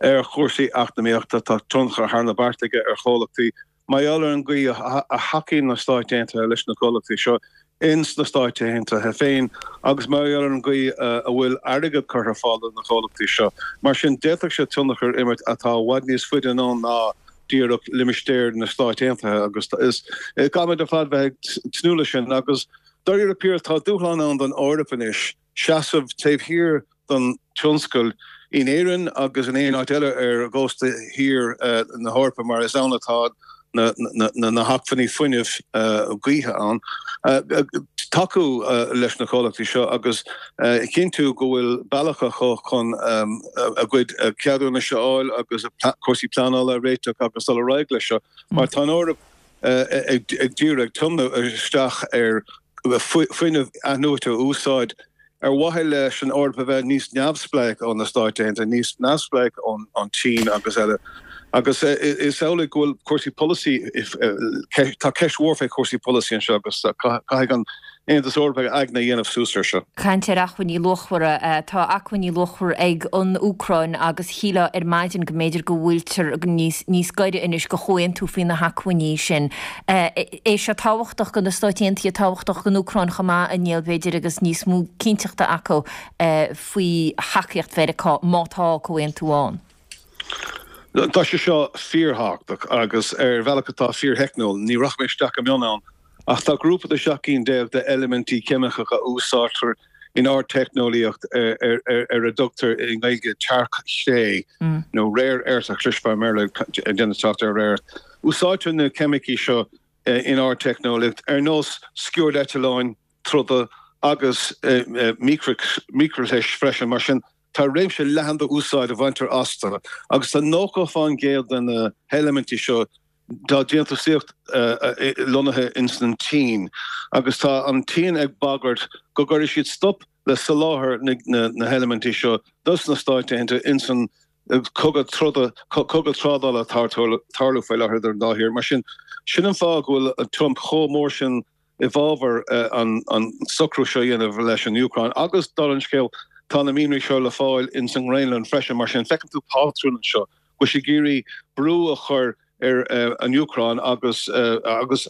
ar chúrsaí eacnamaíochta, tá tionchar thar na bearta aige ar chomhlachtaí mar gheall ar an gcaoi a thacaíonn na Stáit Aontaithe leis na comhlachtaí seo ins na Stáit Aontaithe féin agus mar gheall ar an gcaoi a bhfuil airgead curtha ar fáil do na comhlachtaí seo. Mar sin, d'fhéadfadh sé tionchar a imirt atá i bhfad níos faide anonn ná díreach limistéar na Stáit Aontaithe agus is caithfimid ar fad bheith ag tnúth leis sin agus dáiríre píre tá dúshlán ann don Eoraip anois seasamh taobh thiar den tionscal in Éirinn agus in aon áit eile ar chósta thiar na hEorpa mar is ann atá na hacmhainní fuinnimh gaoithe ann, tacú leis na comhlachtaí seo agus a chinntiú go bhfuil bealach acu chun a gcuid ceadúnais a fháil agus cúrsaí pleanála a réiteach agus dul ar aghaidh leis seo mar tá an Eoraip ag díriú, ag tiomnú isteach ar fuinneamh athnuaite a úsáid ar mhaithe leis an Eoraip a bheith níos neamhspleách ó na Stáit Aontaithe, níos neamhspleách ón tSín agus eile. Agus is amhlaidh go bhfuil cúrsaí polasaí, tá ceist mhór fé chúrsaí polasaí anseo agus caithfidh an Aontas Eorpach a aigne a dhéanamh suas air seo. Caint ar acmhainní luachmhara. Tá acmhainní luachmhara ag an Úcráin agus shílfeá ar maidin go mb'fhéidir go bhfuiltear níos gaire anois go chomhaontú faoi na hacmhainní sin. É seo tábhachtach do na Stáit Aontaithe, tábhachtach don Úcráin chomh maith, a Néill, b'fhéidir, agus níos mó cinnteachta acu faoi thacaíocht Mheiriceá má tá comhaontú ann. Tá sé seo fíorthábhachtach agus ar bhealach atá fíortheicniúil. Ní rachaidh mé isteach go mion ann ach tá grúpa de seacht gcinn déag d'eilimintí ceimiceacha a úsáidtear in ardteicneolaíocht ar a dtugtar i nGaeilge tearc-chré nó rare earth a chloisfeá i mBéarla ag déanamh trácht ar rare earth. Úsáidtear na ceimicí seo in ardteicneolaíocht ar nós sciúrdeitleáin troda agus micrishlis freisin. Mar sin, tá réimse leathan d'úsáid a bhaintear astu agus tá nócha fán gcéad de na heilimintí seo dá ndéantúsaíocht lonnaithe ins an tSín agus tá an tSín ag bagairt go gcuirfidh siad stop le soláthar na heilimintí seo dos na Stáit Aontaithe ins an cogadh troda, cogadh trádála atá ag tarlú faoi láthair idir an dá thír. Mar sin, sin an fáth go bhfuil Trump chomh mór sin i bhfabhar an socrú seo a dhéanamh leis an Úcráin agus, dála an scéil, tá na mianraí seo le fáil ins an nGraonlainn freisin. Mar sin, feiceann tú pátrún anseo, go bhfuil sé ag iarraidh brú a chur ar an Úcráin agus agus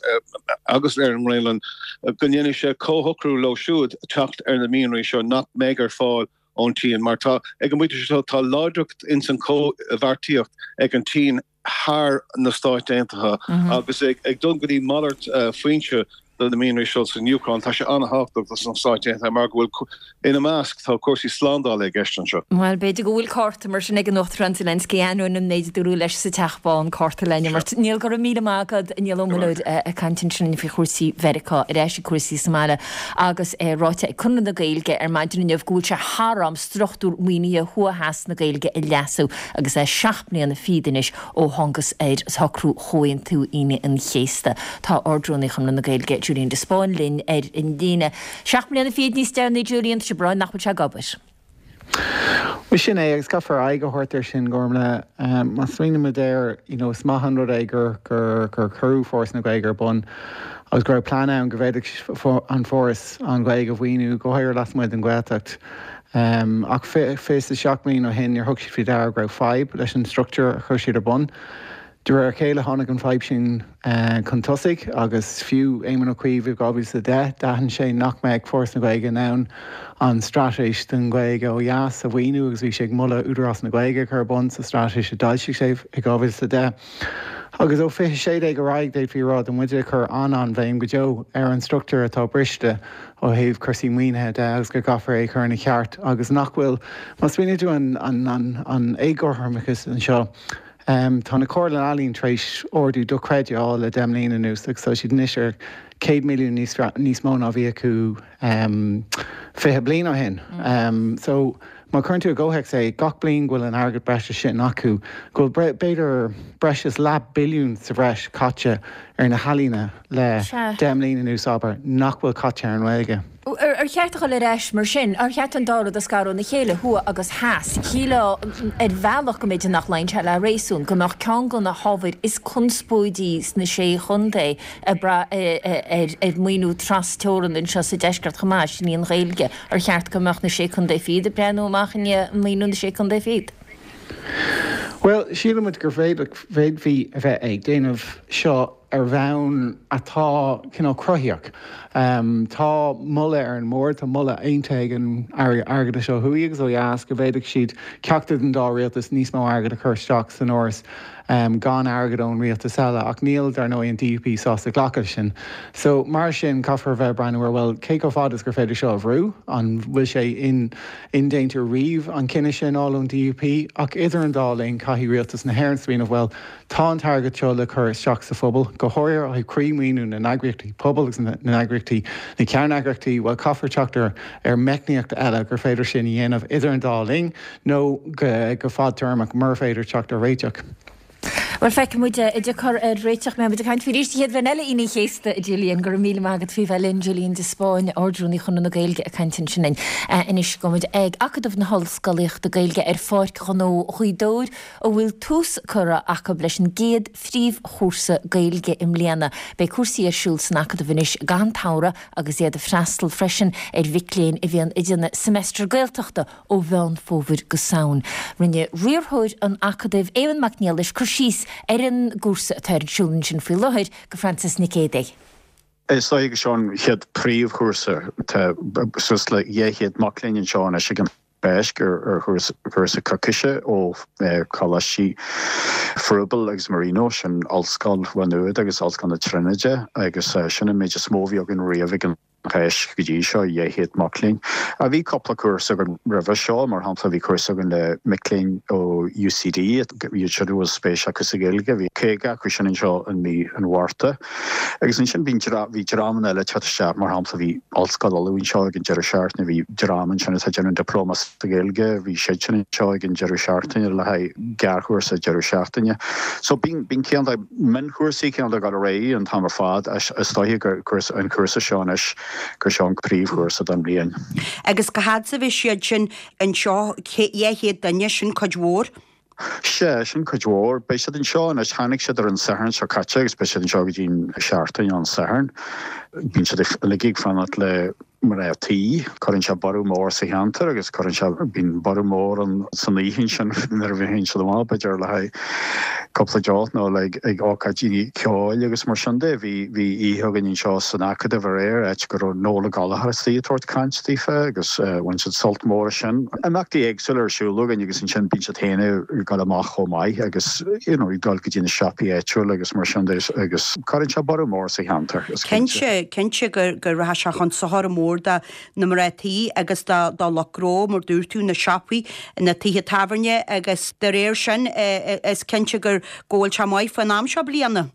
agus ar an nGraonlainn go ndéanfaidh sé comhshocrú leo siúd teacht ar na mianraí seo nach mbeidh ar fáil ón tSín mar tá ag an bpointe seo tá láidreacht ins an chomhbheartaíocht ag an tSín thar na Stáit Aontaithe agus ag dul go dtí malairt foinse do na mianraí seo san Úcráin. Tá sé an-thábhachtach dos na Stáit Aontaithe mar go bhfuil, ina measc, tá cúrsaí slándála i gceist anseo. Bhuel, b'fhéidir go bhfuil cárta mar sin ag an Uachtarán Zelensky, ainneoin an méid a dúradh leis sa Teach Bán, cárta le n-imirt. Niall, go raibh míle maith agat. Niall Ó Muilleoir ag caint ansin faoi chúrsaí Mheiriceá, ar ais ag cúrsaí sa mbaile agus é ráite ag Conradh na Gaeilge ar maidin inniu go bhfuil sé thar am struchtúr maoinithe thuaidh theas na Gaeilge a leasú agus é seacht mbliana fichead anois ó thángthas ar shocrú Chomhaontú Aoine an Chéasta. Tá Ard-Rúnaí Chonradh na Gaeilge, Julian de Spáinn linn ar an líne. Seacht mbliana fichead níos deireanaí Julian tá sé breá nach bhfuil sé ag obair. Well sin é agus caithfear aghaidh a thabhairt air sin Gormfhlaith má smaoinímid air you know, is maith an rud é gur gur gur cuireadh Foras na Gaeilge ar bun agus go raibh plean ann go bhféadfadh an Foras an Ghaeilge a mhaoiniú go háirithe lasmuigh den Ghaeltacht. Um, ach fiche is seacht mbliana ó shin níor thug siad faoi deara go raibh fadhb leis an struchtúr a chuir siad ar bun. De réir a chéile tháinig an fadhb sin uh, chun tosaigh agus fiú Éamon Ó Cuív i dhá mhíle a deich d'aithin sé nach mbeadh Foras na Gaeilge in ann an straitéis don Ghaeilge ó dheas a mhaoiniú agus bhí sé ag moladh Údarás na Gaeilge chur ar bun sa straitéis a d'fhoilsigh sé i dhá mhíle a deich. Agus ó fiche sé déag ar aghaidh d'fhéadfaí rá tá muid ag cur an-an-bhéim go deo ar an struchtúr atá briste ó thaobh cúrsaí maoinithe de agus go gcaithfear é chur ina cheart agus nach bhfuil má smaoiníonn tú an, an, an, an éagothromas anseo. Um, tá na Comhairle Ealaíon tar éis ardú dochreidte a fháil le deich mbliana anuas agus tá siad anois ar céad milliún níos níos mó ná bhí acu um, fiche bliain ó shin. Um, so má chuireann tú i gcomhthéacs é gach bliain go bhfuil an airgead breise sin acu, go bhfuil b'fhéidir breis is leath billiún sa bhreis caite ar na healaíona le deich mbliana anuas abair nach bhfuil caite ar an nGaeilge. Ar cheart a dhul ar ais mar sin, ar cheart an dá rud a scaradh óna chéile, thuaidh agus theas, shílfeá ar bhealach go mb'fhéidir nach luíonn sé le réasún, go mbeadh ceann de na hábhair is conspóidí sna sé chontae ag brath ar mhaoiniú trasteorann anseo sa deisceart chomh maith, sin í an Ghaeilge. Ar cheart go mbeadh na sé chontae fichead ag breathnú amach i ndiaidh maoiniú na sé chontae fichead? Well, sílimid gur bhféadfaí a bheith ag déanamh seo ar bhonn atá cineál cruthaíoch. Um, tá moladh ar an mbord, tá moladh aontaithe ag an airgeadais ó thuaidh agus ó dheas go bhféadfadh siad ceachtar den dá rialtas níos mó airgead a chur isteach san fhoras um, gan airgead ón rialtas eile ach níl dar ndóigh an D U P sásta glacadh sin. So mar sin caithfear bheith breathnú ar well cé chomh fada is gur féidir seo a bhrú an bhfuil sé in indéanta riamh an cinneadh sin a fháil ón D U P ach idir an dá linn caithfidh rialtas na hÉireann smaoineamh well tá an t-airgead seo le cur isteach sa phobal go háirithe ó thaobh croí-mhaoiniú na n-eagraíochtaí pobail agus na n-eagraíochtaí na ceanneagraíochtaí well caithfear teacht ar ar meicníocht eile gur féidir sin a dhéanamh idir an dá linn nó go go fadtéarmach mura féidir teacht ar réiteach. Well feicfidh muid an dtiocfar ar réiteach mbeidh muid ag caint faoi arís an chéad bhliain eile Aoine an Chéasta, a Julian, go raibh míle maith agat faoi bheith linn, Julian de Spáinn, Ard-Rúnaí Chonradh na Gaeilge ag caint ansin linn. Anois gabhfaidh muid ag Acadamh na hOllscolaíochta Gaeilge ar Pháirc Ghnó Ghaoth Dobhair a bhfuil tús curtha acu leis an gcéad phríomhchúrsa Gaeilge i mbliana. Beidh cúrsaí ar siúl san Acadamh anois gach aon tsamhradh agus iad ag freastal freisin ar mhic léinn a bhíonn ag déanamh Semester Gaeltachta ó Mheán Fómhair go Samhain. Rinne riarthóir an Acadaimh, Éamonn Mac Niallais, cur síos ar an gcúrsa atá ar siúl ansin faoi láthair do Frances Nic Géadaigh. Is dóigh go seo an chéad príomhchúrsa. Tá suas le dhá chéad mac léinn anseo anois ag an Cháisc ar chúrsa coicíse ó Choláistí Froebel agus Marino, sin Ollscoil Mhá Nuad agus Ollscoil na Tríonóide, agus sin an méid is mó a bhí againn riamh ag an Cháisc go dtí seo, dhá chéad mac léinn. Bhí cúpla cúrsa againn roimhe seo, mar shampla bhí cúrsa againn le mic léinn ó U C D, iad siúd a bhfuil spéis acu sa Ghaeilge, bhí caoga acu sin anseo i mí an Mhárta. Agus ansin bhí bhí dreamanna eile ag teacht isteach, mar shampla bhí Ollscoil Uladh anseo ag an deireadh seachtaine, bhí dream ansin atá ag déanamh dioplóma sa Ghaeilge, bhí siad sin anseo ag an deireadh seachtaine le haghaidh gearrchúrsa deireadh seachtaine. So bíonn bíonn cineál de mionchúrsaí cineál de ag dul ar aghaidh an t-am ar fad, is dóiche gur an cúrsa seo anois gur seo an príomhchúrsa don bhliain. Agus cá fhad is a bheidh siad sin anseo, dhá chéad duine, sin cuid mhór? Sea, sin cuid mhór. Beidh siad anseo anois, tháinig siad ar an Satharn seo caite agus beidh siad anseo go dtí an seachtain an Satharn. Bíonn siad uilig ag fanacht le mná tí. Cuireann sé borradh mór sa cheantar agus cuireann sé, bíonn borradh mór an san oíche ansin nuair a bhíonn siad amach, b'fhéidir le haghaidh cúpla deoch nó le ag ócáidí ceoil agus mar sin de. Bhí, bhí oíche againn anseo san Acadamh aréir, áit go raibh Noel Ó Gallchóir istigh ag tabhairt caint daofa agus bhain siad sult mór as sin. Imeachtaí éagsúla ar siúl againn agus ansin bíonn siad féin ag dul amach chomh maith agus you know, ag dul go dtí na siopaí áitiúla agus mar sin de agus cuireann sé borradh mór sa cheantar, is cinnte. Cinnte, cinnte gur, gur rachaidh sé chun sochair mór do na mná tí agus do, do lucht gnó, mar dúirt tú, na siopaí, na tithe tábhairne agus de réir sin is cinnte gur go bhfuil sé maith faoin am seo bliana.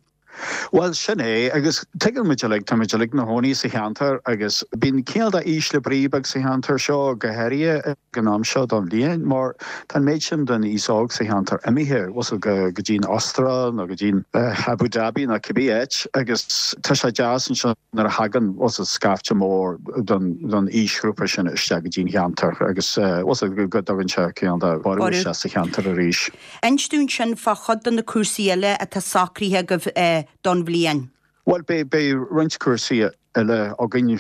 Bhuel, sin é, agus tuigeann muid uilig, tá muid uilig 'na gcónaí sa cheantar agus bíonn cineál de ísle brí beag sa cheantar seo, go háirithe ag an am seo den bhliain, mar tá an méid sin den aos óg sa cheantar imithe, bhfuil a fhios agat, go dtí'n Astráil nó go dtí'n Abu Dhabi nó cibé áit agus tá sé deas ansin nuair a thagann, bhfuil a fhios agat, scaifte mór den aoisghrúpa sin isteach go dtí'n cheantar agus, bhfuil a fhios agat, go dtugann sé cineál de borradh isteach sa cheantar arís. Inis dúinn ansin fá chuid de na cúrsaí eile atá socraithe agaibh don bhliain. Bhuel, beidh roinnt cúrsaí eile againn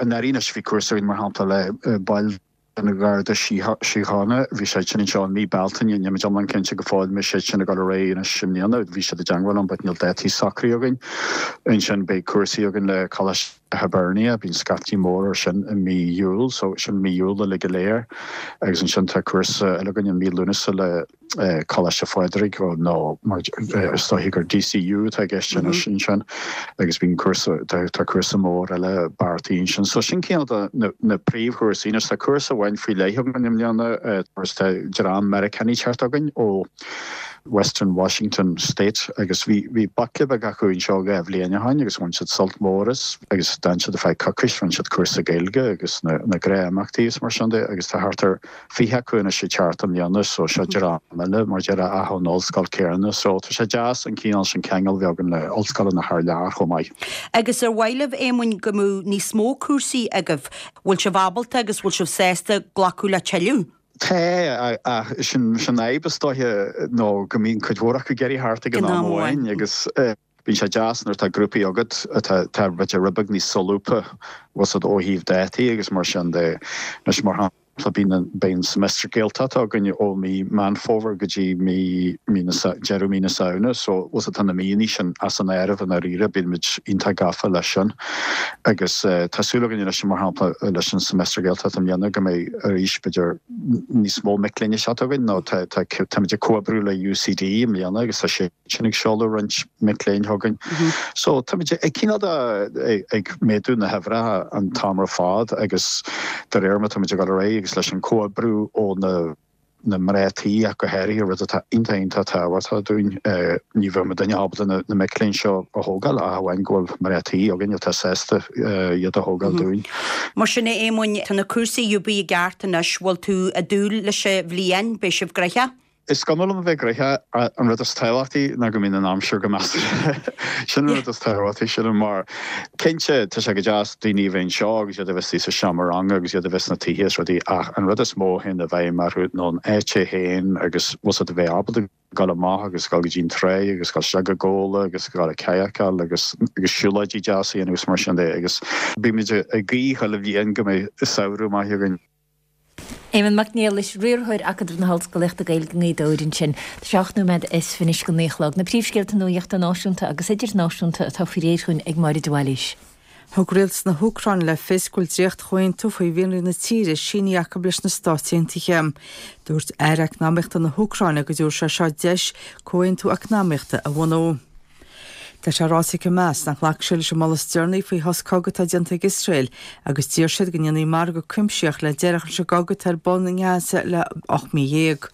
anuraidh anois. Bhí cúrsa againn, mar shampla, le baill den Gharda Síochána. Bhí siad sin anseo i mí Bealtaine. Níl muid iomlán cinnte go fóill an mbeidh siad sin ag dul ar aghaidh anois i mbliana. Bhí siad i dteangmháil liom but níl dátaí socraithe againn. Ansin beidh cúrsaí againn le Coláiste Hibernia. Bíonn scaifte mór ar sin i mí Iúil, so sin mí Iúil uilig go léir. Agus ansin tá cúrsa eile againn i mí Lúnasa le Coláiste Phádraig, nó mar is dóichí gur DCU atá i gceist anois ansin, agus bíonn cúrsa, tá cúrsa mór eile beartaithe ansin. So sin cineál de na príomhchúrsaí. Anois tá cúrsa amháin faoi leith againn i mbliana, tá dream Meiriceánaigh ag teacht chugainn ó Western Washington State agus bhí bhí baicle beag acu anseo dhá bhliain ó shin agus bhain siad sult mór as agus d'fhan siad ar feadh coicís, rinne siad cúrsa Gaeilge agus na na gnáthimeachtaí is mar sin de agus tá thart ar fiche acu anois ag teacht i mbliana so seo dream eile mar déarfá ach ón ollscoil céanna so tá sé deas an cineál sin ceangal a bheith againn le ollscoileanna thar lear chomh maith. Agus ar mhaith libh, Éamoinn, go mbeadh níos mó cúrsaí agaibh? Bhfuil sibh ábalta agus bhfuil sibh sásta glacadh le tuilleadh? Tá, ach sin an fhadhb is dóiche nó go mbíonn cuid mhór acu ag iarraidh theacht ag an am amháin agus bíonn sé deas nuair atá grúpaí agat atá b'fhéidir rud beag níos solúbtha, bhfuil a fhios agat, ó thaobh dátaí agus mar sin de. Anois mar shampla bíonn an, beidh an Semester Gaeltachta againn ó mí Meán Fómhair go dtí mí, mí na, deireadh mí na Samhna so bhfuil a fhios agat tá na míonna sin as an áireamh i ndáiríre, bíonn muid iontach gafa leis sin. Agus tá súil againn anois, mar shampla, leis an Semester Gaeltacht i mbliana go mbeidh arís b'fhéidir níos mó mic léinn ag teacht chugainn nó tá táimid ag comhoibriú le UCD i mbliana agus tá siad sin ag seoladh roinnt mic léinn chugainn. So táimid ag cineál de ag méadú na huimhreacha an t-am ar fad agus de réir mar táimid ag dul ar aghaidh agus leis an comhoibriú ó na na mná tí ach go háirithe, rud atá iontach iontach tábhachtach dúinn. Ní bheadh muidinne ábalta na mic léinn seo a thógáil ach amháin go bhfuil mná tí againn atá sásta iad a thógáil dúinn. Mar sin a Éamoinn, tá na cúrsaí i gceart anois, bhfuil tú ag dúil leis an bhliain, beidh sibh gnoitheach? Is cuma liom a bheith gnoitheach, an rud is tábhachtaí ná go mbíonn an aimsir go measartha. Sin an rud is tábhachtaí, sílim, mar cinnte tá sé go deas daoine a bheith anseo agus iad a bheith istigh sa seomra ranga agus iad a bheith sna tithe is rudaí ach an rud is mó a théann i bhfeidhm orthu ná an áit é féin agus bhfuil a fhios agat a bheith ábalta dul amach agus dul go dtí an trá agus dul isteach ag ól agus dul ag cadhcáil agus agus siúlóidí deasa a dhéanamh agus mar sin de agus bímid ag guí chuile bhliain go mbeidh samhradh maith againn. Éamonn Mac Niallais, Riarthóir Acadamh na hOllscolaíochta Gaeilge i nGaoth Dobhair ansin. Tá sé ocht nóiméad is fiche anois go naoi a chlog. Na príomhscéalta nuachta náisiúnta agus idirnáisiúnta atá faoi réir chugainn ag Máire de Bhailís. Thug rialtas na hÚcráine le fios go bhfuil dréacht-chomhaontú faoi mhianraí na tíre sínithe acu leis na Stáit Aontaithe. Dúirt Aire Eacnamaíochta na hÚcráine go dtabharfaidh sé seo deis comhaontú eacnamaíochta a bhunú. Tá sé ráite ag Hamas nach nglacfaidh siad leis an moladh is deireanaí faoi shos cogaidh atá déanta ag Iosrael agus d'iarr siad go ndéanfaí margadh cuimsitheach le deireadh a chur leis an gcogadh atá ar bun i nGaza le ocht mí dhéag.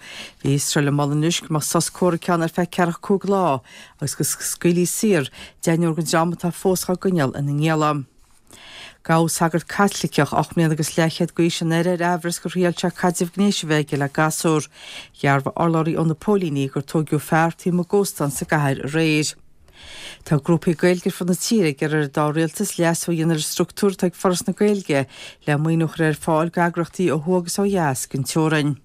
Bhí Iosrael ag moladh anois go mbeadh sos comhraic ann ar feadh ceathracha cúig lá agus go scaoilfí saor deichniúr den dream atá fós á gcoinneáil ina ngialla. Gabhadh sagart Caitliceach ocht mbliana agus leathchéad d'aois aréir ar amhras gur thriail sé caidreamh gnéis a bheith aige le gasúr. Dhearbhaigh urlabhraí ó na póilíní gur tóigeadh fear taobh amuigh d'óstán sa gcathair aréir. Tá grúpaí Gaeilge ar fud na tíre ag iarraidh ar an dá rialtas leasú a dhéanamh ar an struchtúr atá ag Foras na Gaeilge le maoiniú a chur ar fáil d'eagraíochtaí ó thuaidh agus ó dheas den teorainn.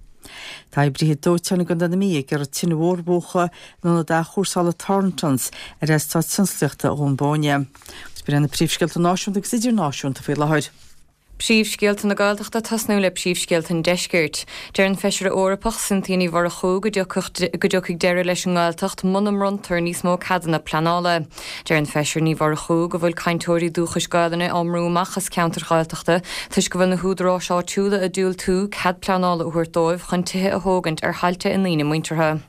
Tá oibrithe dóiteáin i gContae na Mí ag iarraidh tine mhór a mhúchadh in ionad athchúrsála Thorntons ar eastát tionsclaíochta Dhún Bóinne. Agus b'in iad na príomhscéalta náisiúnta agus idirnáisiúnta faoi láthair. Príomhscéalta na Gaeltachta tosnú le príomhscéalta an Deiscirt. Deir an Feisire Eorpach Cynthia Ní Mhurchú go dtiocfaidh deireadh leis an nGaeltacht muna mbronntar níos mó ceadanna pleanála. Deir an Feisire Ní Mhurchú go bhfuil cainteoirí dúchais Gaelainne á mbrú amach as ceantair Ghaeltachta toisc go bhfuil na húdaráis áitiúla ag diúltú cead pleanála a thabhairt dóibh chun tithe a thógaint ar thailte a ndaoine muinteartha.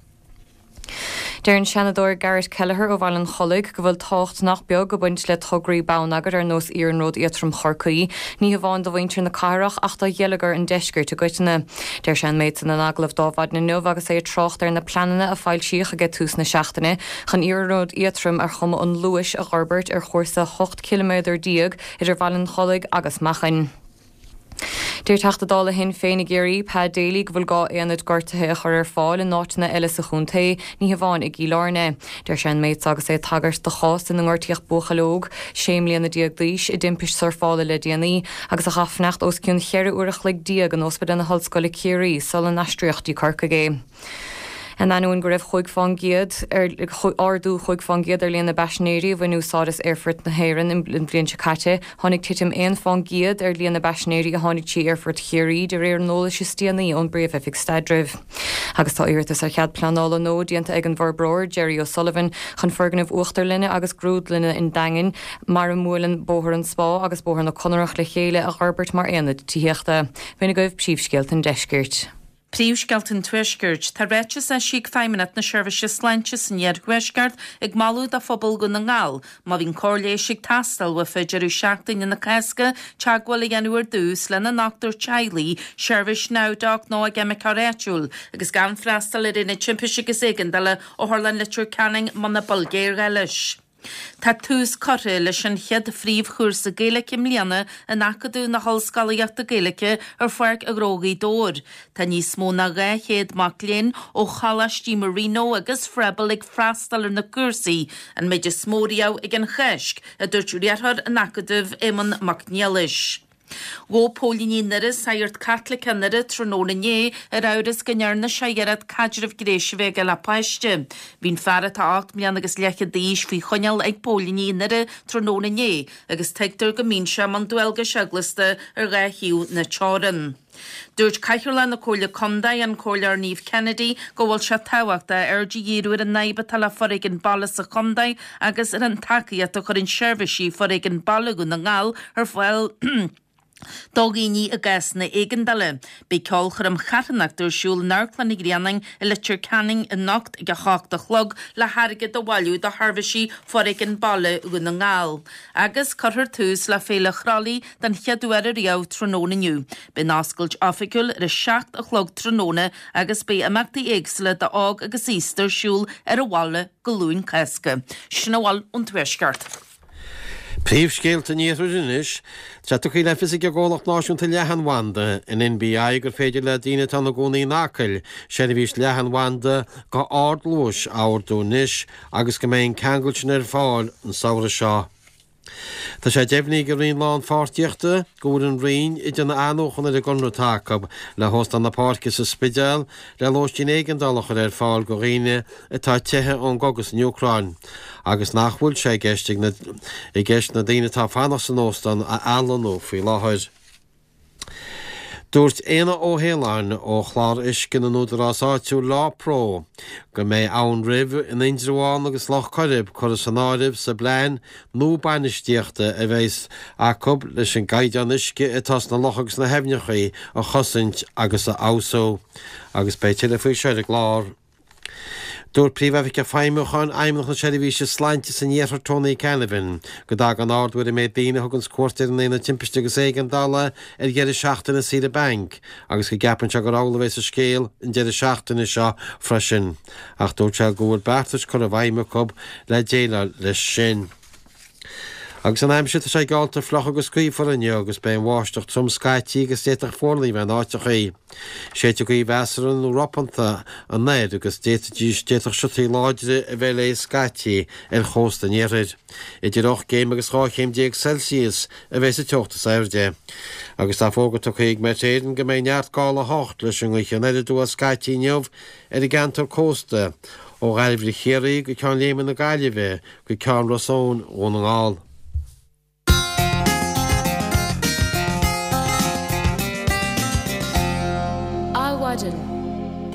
Deir an Seanadóir Garrett Kelleher ó Bhaile an Chollaigh go bhfuil tábhacht nach beag ag baint le tograí bonneagair ar nós Iarnród Éadrom Chorcaí, ní hamháin do mhuintir na cathrach ach do gheilleagar an deiscirt i gcoitinne. Deir sé an méid san in agallamh d'Adhmhaidin inniu agus é ag trácht ar na pleananna a foilsíodh ag tús na seachtaine chun Iarnród Éadrom ar chuma an luais a fhorbairt ar chúrsa ocht ciliméadar déag idir Bhaile an Chollaigh agus Machain. Deir Teachta Dála Shinn Féin i gCiarraí, Pa Daly, go bhfuil gá aonaid gortaithe a chur ar fáil in áiteanna eile sa chontae, ní hamháin i gCill Airne. Deir sé an méid seo agus é ag tagairt do chás ina ngortaíodh buachaill óg, sé mbliana déag d'aois, i dtimpist surfála le déanaí agus a chaith fanacht os cionn cheithre uair a chloig déag in Ospidéal na hOllscoile Ciarraí sula n-aistríodh dtí Corcaigh é. In ainneoin go raibh chúig fán gcéad ar ardú chúig fán gcéad ar líon na bpaisinéirí a bhain úsáid as Aerfort na hÉireann an bhliain seo caite, tháinig titim aon fán gcéad ar líon na bpaisinéirí a tháinig trí Aerfort Chiarraí de réir an eolais is déanaí ón bPríomh-Oifig Staidrimh. Agus tá iarratas ar chead pleanála nua déanta ag an bhforbróir Jerry O'Sullivan chun foirgneamh uachtarlainne agus grúdlainne an Daingin, mar a mbuaileann Bóthar an Spá agus Bóthar na Conarach le chéile, a fhorbairt mar aonad tithíochta. B'in agaibh príomhscéalta an deiscirt. Príomhscéalta an Tuaiscirt. Tá ráiteas eisithe ag Feidhmeannacht na Seirbhíse Sláinte san Iarthuaisceart ag moladh do phobal Dhún na nGall, má bhíonn cóir leighis ag teastáil uafa deireadh seachtaine na Cásca, teagmháil a dhéanamh ar dtús lena ndochtúir teaghlaigh, seirbhís NowDoc nó a gceimiceoir áitiúil, agus gan freastal ar aonad timpiste agus éigeandála Otharlann Leitir Ceanainn muna bhfuil géarghá leis. Tá tús curtha leis an chéad phríomhchúrsa Gaeilge i mbliana in Acadamh na hOllscolaíochta Gaeilge ar Pháirc Ghnó Ghaoth Dobhair. Tá níos mó ná dhá chéad mac léinn ó Choláistí Marino agus Froebel ag freastal ar na cúrsaí, an méid is mó riamh ag an Cháisc, a dúirt riarthóir an Acadaimh, Éamonn Mac Niallais. Ghabh póilíní i nDoire sagart Caitliceach i nDoire tráthnóna inné ar amhras go ndearna sé iarracht caidreamh gnéis a bheith aige le páiste. Bhí an fear atá ocht mbliana agus leathchead d'aois faoi choinneáil ag póilíní i nDoire tráthnóna inné agus tuigtear go mbíonn sé i mbun dualgais eaglasta ar dhá thaobh na teorann. Dúirt Cathaoirleach na Comhairle Contae, an Comhairleoir Niamh Kennedy, go bhfuil sé tábhachtach aird a dhíriú ar an fhadhb atá le foréigean baile sa chontae agus ar an tacaíocht a chuireann seirbhísí foréigean baile Dhún na nGall ar fáil do dhaoine i gcásanna éigeandála. Beidh ceolchoirm charthanachta ar siúl in Amharclann an Ghrianáin i Leitir Ceanainn anocht ag a hocht a chlog le hairgead a bhailiú do sheirbhísí foréigean baile Dhún na nGall. Agus cuirfear tús le Féile Chroithlí den chéad uair ariamh tráthnóna inniu. Beidh an oscailt oifigiúil ar a seacht a chlog tráthnóna agus beidh imeachtaí éagsúla d'óg agus aosta ar siúl ar an bhaile go Luan Cásca. Sin a bhfuil ón Tuaisceart. Príomhscéalta an Iarthair anois. Tá tugtha le fios ag an gcomhlacht náisiúnta leathanbhanda, an NBI, gur féidir le daoine atá ina gcónaí in Acaill seirbhís leathanbhanda go ardluais a ordú anois agus go mbeidh an ceangal sin ar fáil an samhradh seo. Tá sé deimhnithe ag an Roinn Lánpháirtíochta go bhfuil an Roinn ag déanamh athnuachan ar an gconradh atá acu le hÓstán na Páirce sa Spidéal le lóistín éigeandála a chur ar fáil do dhaoine atá ag teitheadh ón gcogadh san Úcráin agus nach bhfuil sé i gceist ag na i gceist na daoine atá ag fanacht san óstán a athlonnú faoi láthair. Dúirt Éanna Ó hAoláin ó Chlár Uisce na nÚdarás Áitiúil LáPro go mbeidh Abhainn Roimh in Indreabhán agus Loch Coirib curtha san áireamh sa bplean nua bainistíochta a bheas acu leis an gcaighdeán uisce atá sna locha agus sna haibhneacha a chosaint agus a fheabhsú. Agus beidh tuilleadh faoi seo ar an gclár. Dúirt Príomh-Oifigeach Feidhmiúcháin Fheidhmeannacht na Seirbhíse Sláinte san Iarthar Tony Canavan go dtagann ardú ar an méid daoine a thuganns cuairt ar an Aonad Timpiste agus Éigeandála ar dheireadh seachtaine saoire bainc agus go gceapann sé gur amhlaidh a bheas an scéal an deireadh seachtaine seo freisin ach dúirt sé go bhfuil beartais curtha i bhfeidhm acu le déileáil leis sin. Agus an aimsir, tá sé geallta fliuch agus gaofar inniu agus beidh an bháisteach trom scaití agus d'fhéadfadh fuarlaigh a bheith in áiteachaí. Séidfidh gaoth mheasartha nó ropanta anoir agus d'fhéadfaidís, d'fhéadfadh siotaí láidre a bheith léi scaití ar chósta an iarthair. Idir ocht gcéim agus dhá chéim déag Celsius a bheidh sa teocht is airde. Agus tá fógra tugtha ag Met Éireann go mbeidh neart gála a hocht leis an ngaoth anoir aduaidh scaití inniu ar an gceantar cósta, ó Dhairbhre Chiarraí go Ceann Léime na Gaillimhe go Ceann Ros Eoin Dhún na nGall. Adhmhaidin.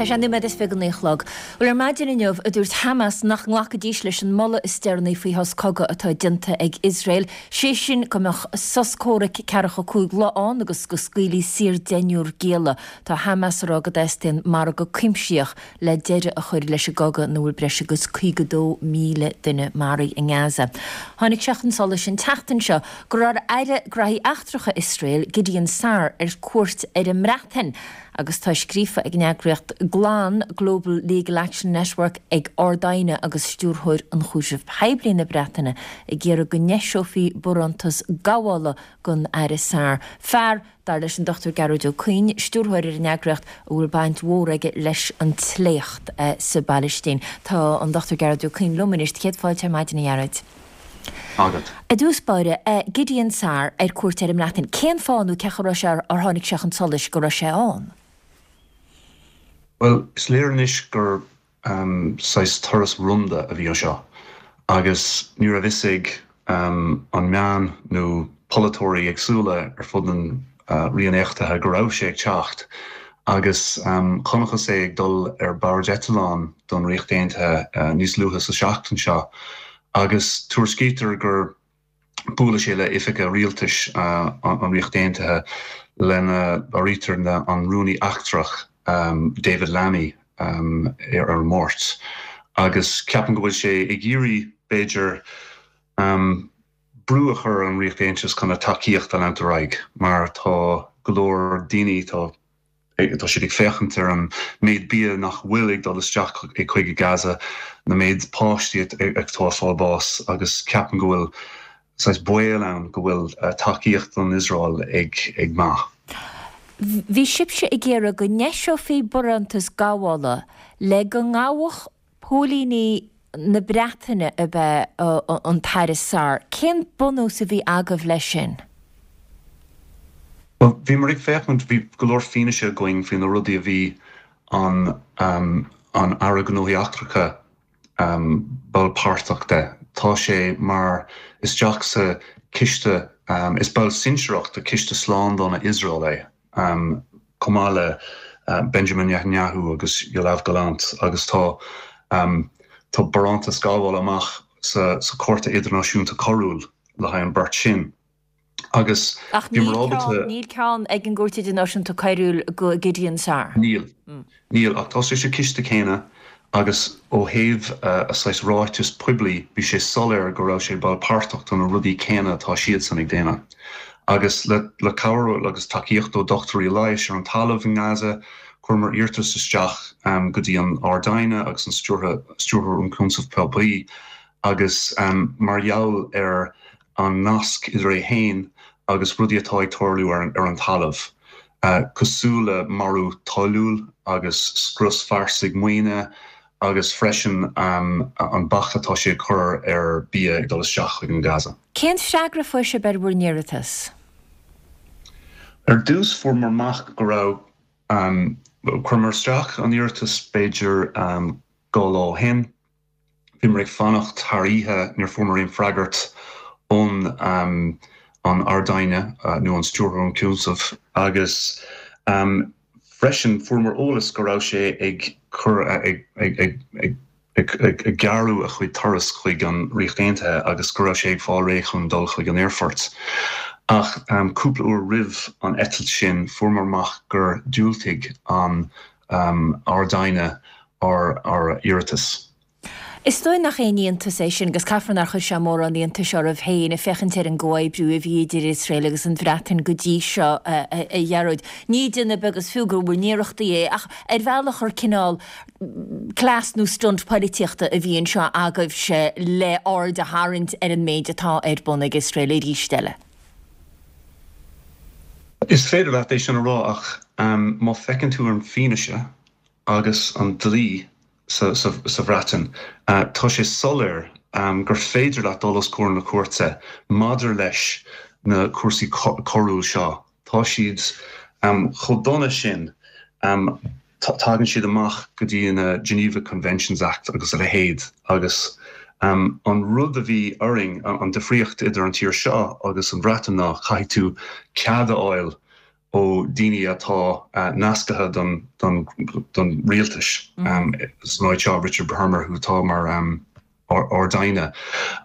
Tá sé nóiméad is fiche go naoi a chlog. Bhuel, ar maidin inniu a dúirt Hamas nach nglacfaidís leis an moladh is deireanaí faoi shos cogaidh atá déanta ag Iosrael, sé sin go mbeadh sos comhraic ceathracha cúig lá ann agus go scaoilfí saor deichniúr gialla. Tá Hamas ag rá go dteastaíonn margadh cuimsitheach le deireadh a chur leis an gcogadh ina bhfuil breis agus caoga dó míle duine maraithe i nGaza. Tháinig sé chun solais an tseachtain seo go raibh Aire Gnóthaí Eachtracha Iosrael, Gideon Saar, ar cuairt ar an mBreatain agus tá scríofa ag an eagraíocht GLAN, Global Legal Action Network, ag Ard-Aighne agus Stiúrthóir Ionchúiseamh Poiblí na Breataine ag iarraidh go n-eiseofaí barántas gabhála don Aire Saar. Fear, dar leis an Dochtúir Gearóid Ó Cuinn, stiúrthóir ar an eagraíocht, a bhfuil baint mhór aige leis an tsléacht sa bPailistín. Tá an Dochtúir Gearóid Ó Cuinn liom anois. Céad fáilte ar maidin, a Ghearóid. Agat. I dtús báire, Gideon Saar ar cuairt ar an mBreatain. Cén fáth nó cén chaoi a raibh sé ar tháinig sé chun solais go raibh sé ann? Bhuel, is léir anois gur saghas turas rúnda a bhí anseo agus ní raibh fhios ag an meán nó polaiteoirí éagsúla ar fud an Ríocht Aontaithe go raibh sé ag teacht agus chonacthas é ag dul ar bord eitleán don Ríocht Aontaithe níos luaithe sa seachtain seo agus tuairiscítear gur bualadh sé le oifigigh rialtais an Ríocht Aontaithe lena n-áirítear an Rúnaí Eachtrach David Lammy ar an Máirt agus ceapaim go bhfuil sé ag iarraidh b'fhéidir brú a chur ar an Ríocht Aontaithe chun a tacaíocht a leanúint ar aghaidh mar tá go leor daoine tá tá siad ag féachaint ar an méid bia nach bhfuil ag dul isteach chuig Gaza, na méid páistí atá ag fáil bás agus ceapaim go bhfuil saghas baol ann go bhfuil tacaíocht don Iosrael ag ag meath. Bhí sibhse ag iarraidh go n-eiseofaí barántas gabhála le go ngabhfadh póilíní na Breataine ab ea an tAire Saar. Cén bunús a bhí agaibh leis sin? Bhuel, bhíomar ag féachaint, bhí go leor fianaise againn faoi na rudaí a bhí an an Aire Gnóthaí Eachtracha ball páirteach de. Tá sé mar isteach sa ciste, is ball sinsearach de Ciste Slándála Iosrael é, chomh maith le Benjamin Netanyahu agus Yoav Gallant agus tá tá barántas gabhála amach sa sa Cúirt Idirnáisiúnta Coiriúil le haghaidh an beirt sin. Agus Ach níl ceann, níl ceann ag an gCúirt Idirnáisiúnta Coiriúil go Gideon Saar. Níl. Níl, ach tá sé sa ciste céanna agus ó thaobh a saghas ráiteas poiblí bhí sé soiléir go raibh sé ball páirteach do na rudaí céanna atá siadsan ag déanamh. Agus le le cabhair agus tacaíocht ó dochtúirí leighis ar an talamh i nGaza, chuireamar iarratas isteach go dtí an Ard-Aighne agus an Stiúrthóir Ionchúiseamh Poiblí agus mar gheall ar an nasc idir é féin agus rudaí atá ag tarlú ar an talamh, cosúil le marú toiliúil agus scrios fairsinge maoine agus freisin an bac atá sé ag cur ar bia ag dul isteach chuig an Gaza. Cén freagra a fuair sibh ar bhur n-iarratas? Ar dtús fuaireamar amach go raibh, chuireamar isteach an iarratas b'fhéidir dhá lá ó shin. Bhíomar ag fanacht thar oíche, níor fuaireamar aon freagairt ón an Ard-Aighne nó an Stiúrthóir Ionchúiseamh agus freisin fuaireamar eolas go raibh sé ag cur ag ag ag ag ag gearradh a chuid turas chuig an Ríocht Aontaithe agus go raibh sé ag fáil réidh chun dul chuig an aerfort. Ach cúpla uair roimh an eitilt sin fuaireamar amach gur diúltaigh an Ard-Aighne ár ár iarratas. Is dóigh nach aon iontas é sin agus caithfear nár chuir sé mórán iontais oraibh féin ag féachaint ar an gcomhoibriú a bhí idir Iosrael agus an Bhreatain go dtí seo, a Ghearóid. Ní déanamh beag is fiú de bhur n-iarrachtaí é ach ar bhealach gur cineál cleas nó stunt poilitíochta a bhí anseo agaibhse le aird a tharraingt ar an méid atá ar bun ag Iosrael arís eile. Is féidir leat é sin a rá ach má feiceann tú an fianaise agus an dlí sa sa Bhreatain, tá sé soiléir gur féidir leat dul os comhair na cúirte maidir leis na cúrsaí coiriúil seo. Tá siad chomh dona sin, tagann siad amach go dtí na Geneva Conventions Act agus a leithéid agus an rud a bhí orainn, an difríocht idir an tír seo agus an Bhreatain ná caithfidh tú cead a fháil ó daoine atá nasctha don don don rialtas san áit seo Richard Hermer who tá mar um, Ard-Aighne.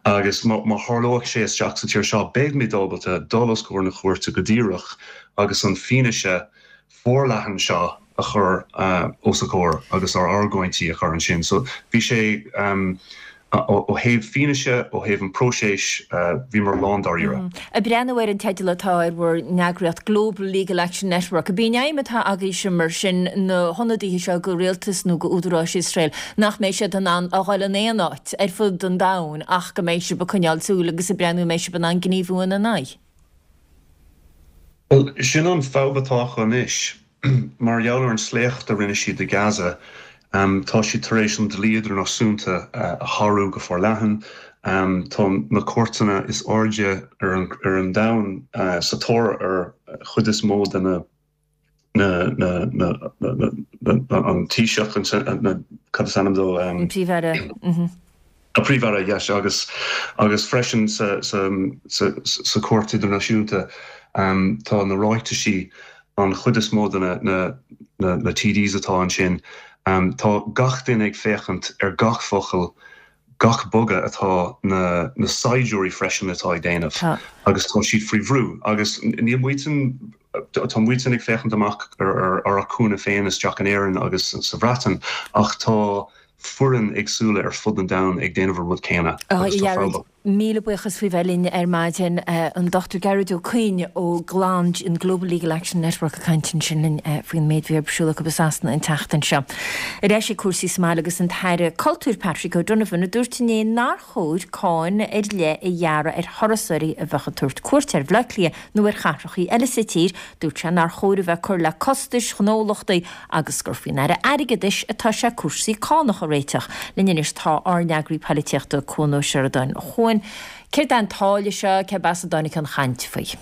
Agus má tharlóidh sé isteach sa tír seo beimid ábalta dul os comhair na cúirte go díreach agus an fianaise forleathan seo a chur uh, os a comhair agus ár argóintí a chur ansin. So bhí sé um, ó thaobh fianaise ó thaobh an próiseas uh, bhíomar lándáiríre. Mm. Ag breathnú ar an teideal atá ar bhur n-eagraíocht Global Legal Action Network, ab í an aidhm atá agaibhse mar sin na hionadaithe seo go rialtas nó go údaráis Iosrael nach mbeidh siad in ann a dhul in aon áit ar fud an domhain ach go mbeidh sibh ag coinneáil súil agus ag breathnú mbeidh sibh in ann gníomhú ina n-aghaidh. Well, sin an fadhb atá anois mar gheall ar an sléacht a rinne siad i Gaza. Um, tá siad tar éis an dlí idirnáisiúnta uh, a shárú go forleathan. Um, tá na cúirteanna is airde ar an, ar an domhan uh, sa tóir ar chuid is mó de na na na na na na an Taoiseach an na cad is ainm dó um, Príomh-Aire. Mm A príomh-aire yes, agus agus freisin sa sa sa, sa cúirt idirnáisiúnta um, tá na ráitisí an chuid is mó de na na na, na TDs atá ansin Um, tá gach duine ag féachaint ar gach focal gach bogadh atá na, na saighdiúirí freisin atá ag déanamh agus tá siad faoi bhrú agus níl muid tá muid ag féachaint amach ar ar ar a cúnamh féin isteach in Éirinn agus sa Bhreatain ach tá foireann éagsúla ar fud an domhain ag déanamh an rud céanna. Míle buíochas faoi bheith linn ar maidin an Dochtúir Gearóid Ó Coinn ó GLAN an Global Legal Action Network ag caint ansin linn faoin méid a bhí ar siúl acu i Sasana an tseachtain seo. Ar ais ag cúrsaí sa mbaile agus an tAire Cultúir Patrick O'Donovan a dúirt inné nár chóir cáin ar leith a ghearradh ar thurasóirí a bheadh ag tabhairt cuairt ar Bhaile Átha Cliath nó ar chathracha eile sa tír, dúirt sé nár chóir a bheith ag cur le costais ghnólachtaí agus gur faoin Aire Airgeadais atá sé cúrsaí cánach a réiteach. Linn anois tá ár n-eagraí polaitíochta Cuan Ó Seireadáin. A Chuain, céard é an táille seo, cérb as a dtáinig an chaint faoi?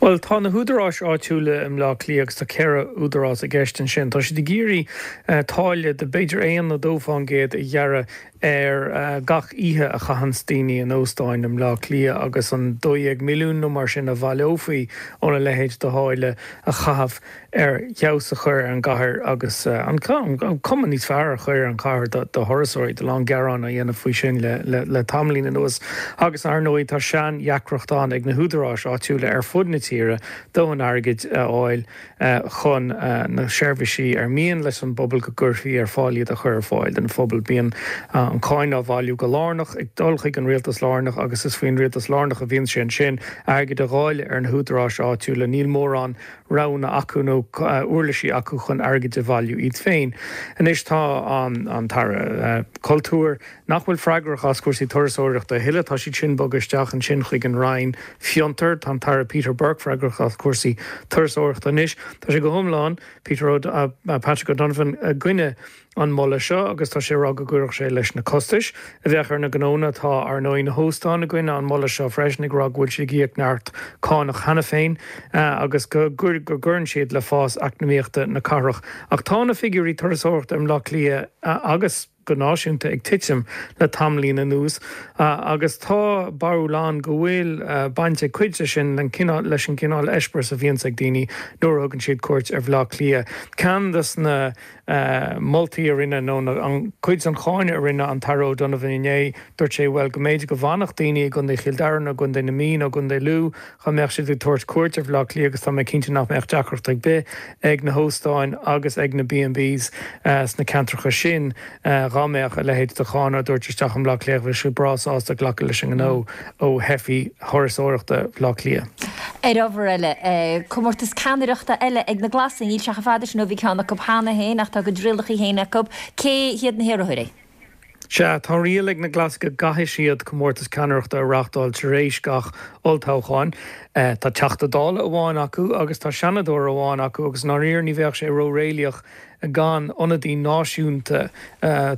Bhuel, tá na húdaráis áitiúla i mBleá Cliath agus tá ceithre údarás i gceist ansin. Tá siad ag iarraidh táille de b'fhéidir aon nó dó fán gcéad a ghearradh ar gach oíche a chaitheanns daoine in óstáin i mBleá Cliath agus an dó dhéag milliún nó mar sin a bhaileofaí óna leithéid de tháille a chaitheamh ar fheabhas a chur ar an gcathair agus an cuma níos fearr a chur ar an chathair do thurasóirí. Tá a lán gearán á dhéanamh faoi sin le tamaillín anuas agus ar ndóigh tá sean-dheacracht ann ag na húdaráis áitiúla ar fud na tíre dóthain airgid a fháil chun na seirbhísí ar mian leis an bpobal go gcuirfí ar fáil iad a chur ar fáil don phobal. Bíonn an cáin á bhailiú go lárnach ag dul chuig an rialtas lárnach agus is faoin rialtas lárnach a bhíonn sé ansin airgead a dháileadh ar na húdaráis áitiúla. Níl mórán roghanna acu nó uirlisí acu chun airgead a bhailiú iad féin. Anois tá an tAire Cultúir, nach bhfuil freagrach as cúrsaí turasóireachta a thuilleadh, tá siad sin bogtha isteach ansin chuig an Roinn Fiontar, tá an tAire Peter Burke freagrach as cúrsaí turasóireachta anois. Tá sé go hiomlán, Peter Patrick O'Donovan, i gcoinne an moladh seo agus tá sé ag rá go gcuirfeadh sé leis na costais a bheadh ar na gnónna. Tá, ar ndóigh, na hóstáin i gcoinne an moladh seo freisin, ag rá go bhfuil siad ag íoc neart cánach cheana féin agus go gcuireann siad le fás eacnamaíochta na cathrach. Ach tá na figiúirí turasóireachta i mBleá Cliath agus go náisiúnta ag titim le tamaillín anuas agus tá barúil ann go bhfuil baint ag cuid de sin leis an gcineál eispéireas a bhíonns ag daoine nuair a thugann siad cuairt ar Bhleá Cliath. Ceann des na moltaí a rinne, nó an cuid den cháineadh a rinne an tAire O'Donovan inné, dúirt sé, bhuel, go mb'fhéidir go bhfanfadh daoine i gContae Chill Dara nó i gContae na Mí nó i gContae Lú dá mbeadh siad ag tabhairt cuairt ar Bhleá Cliath agus tá mé cinnte nach mbeadh deacracht ar bith ag na hóstáin agus ag na B and Bs sna ceantracha sin dá mbeadh a leithéid de cháin á dtabhairt isteach i mBleá Cliath, bheadh siad breá sásta glacadh leis an ngnó ó theifigh thurasóireachta Bhleá Cliath. Ar ábhar eile, comórtas ceannaireachta eile ag na Glasaigh, níl sé chomh fada sin ó bhí ceann acu cheana féin ach tá a gcuid rialacha féin acu. Cé hiad na hiarrthóirí? Sea, tá riail ag na Glasaigh go gcaithfidh siad comórtas ceannaireachta a reáchtáil tar éis gach olltoghcháin. Tá Teachta Dála amháin acu agus tá Seanadóir amháin acu agus i ndáiríre ní bheadh sé ró-réalaíoch gan ionadaí náisiúnta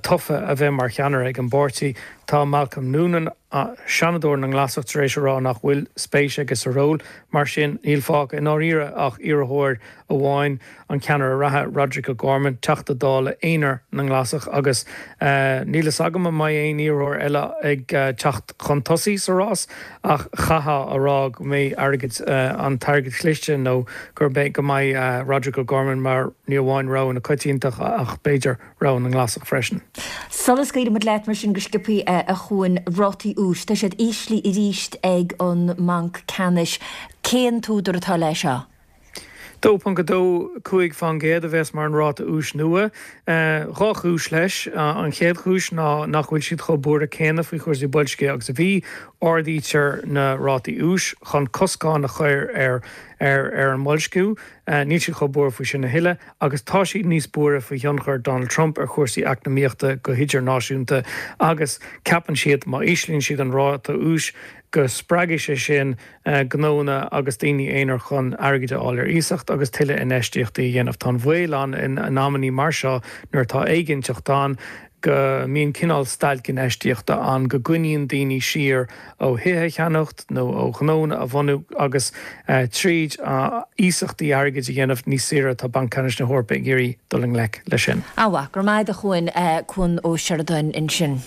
tofa a bheith mar cheannaire ag an bpáirtí. Tá Malcolm Noonan, Seanadóir na nGlasach tar éis a rá nach bhfuil spéis aige sa ról, mar sin níl fágtha i ndáiríre ach iarrthóir amháin, an ceannaire reatha Roderic O'Gorman, Teachta Dála aonair na nGlasach agus níl fhios agam an mbeidh aon iarrthóir eile ag teacht chun tosaigh sa rás ach chaithfeá a rá go mbeidh airgead, an t-airgead cliste nó gur go mbeidh Roderic O'Gorman mar ní amháin rogha na coitiantachta ach b'fhéidir rogha na nGlasach freisin. Sula scaoilfidh muid leat mar sin go sciobtha a Chuain, rátaí úis, tá siad íslithe arís ag an mBanc Ceannais. Cén t-údar atá leis seo? dó ponc a dó cúig faoin gcéad a bheas mar an ráta úis nua. Dhá chúis leis. An chéad chúis ná nach bhfuil siad chomh buartha céanna faoi chúrsaí boilscithe agus a bhí. Ardaítear na rátaí úis chun coscán a chur ar ar an mboilsciú. Níl siad chomh buartha faoi sin a thuilleadh agus tá siad níos buartha faoi thionchar Donald Trump ar chúrsaí eacnamaíochta go hidirnáisiúnta agus ceapann siad má íslíonn siad an ráta úis go spreagfaidh sé sin gnónna agus daoine aonair chun airgead a fháil ar iasacht agus tuilleadh infheistíochtaí a dhéanamh. Tá an baol ann in amannaí mar seo nuair atá éiginnteacht ann go mbíonn cineál stailc infheistíochta ann, go gcoinníonn daoine siar ó thithe a cheannacht nó ó ghnónna a bhunú agus tríd iasachtaí airgid a dhéanamh níos saoire tá Banc Ceannais na hEorpa ag iarraidh dul i ngleic leis sin. An-mhaith, go raibh maith agat a Chuain, Cuan Ó Seireadáin ansin.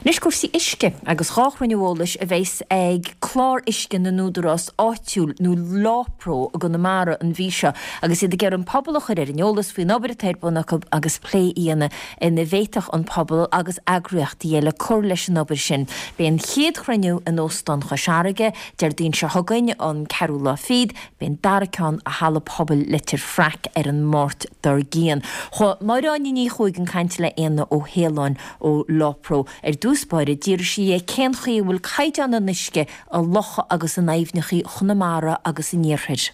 Anois cúrsaí uisce agus dhá chruinniú eolais a bheas ag Clár Uisce na nÚdarás Áitiúil nó LawPro i gConamara an mhí seo agus iad ag iarraidh an pobal a chur ar an eolas faoin obair atá ar bun acu agus plé a dhéanamh ina bhféadfadh an pobal agus eagraíochtaí eile cur leis an obair sin. Beidh an chéad chruinniú in Óstán Chois Fharraige Déardaoin seo chugainn, an ceathrú lá fichead, beidh an dara ceann i Halla Pobail Leitir Fraic ar an Máirt dár gcionn. Chuaigh Máire Áine Ní Chuaig chun cainte le Éanna Ó hAoláin ó LawPro. Ar dtús báire, d'fhiafraigh sí dhe cén chaoi a bhfuil caighdeán an uisce i locha agus in aibhneacha Chonamara agus an Iarthair.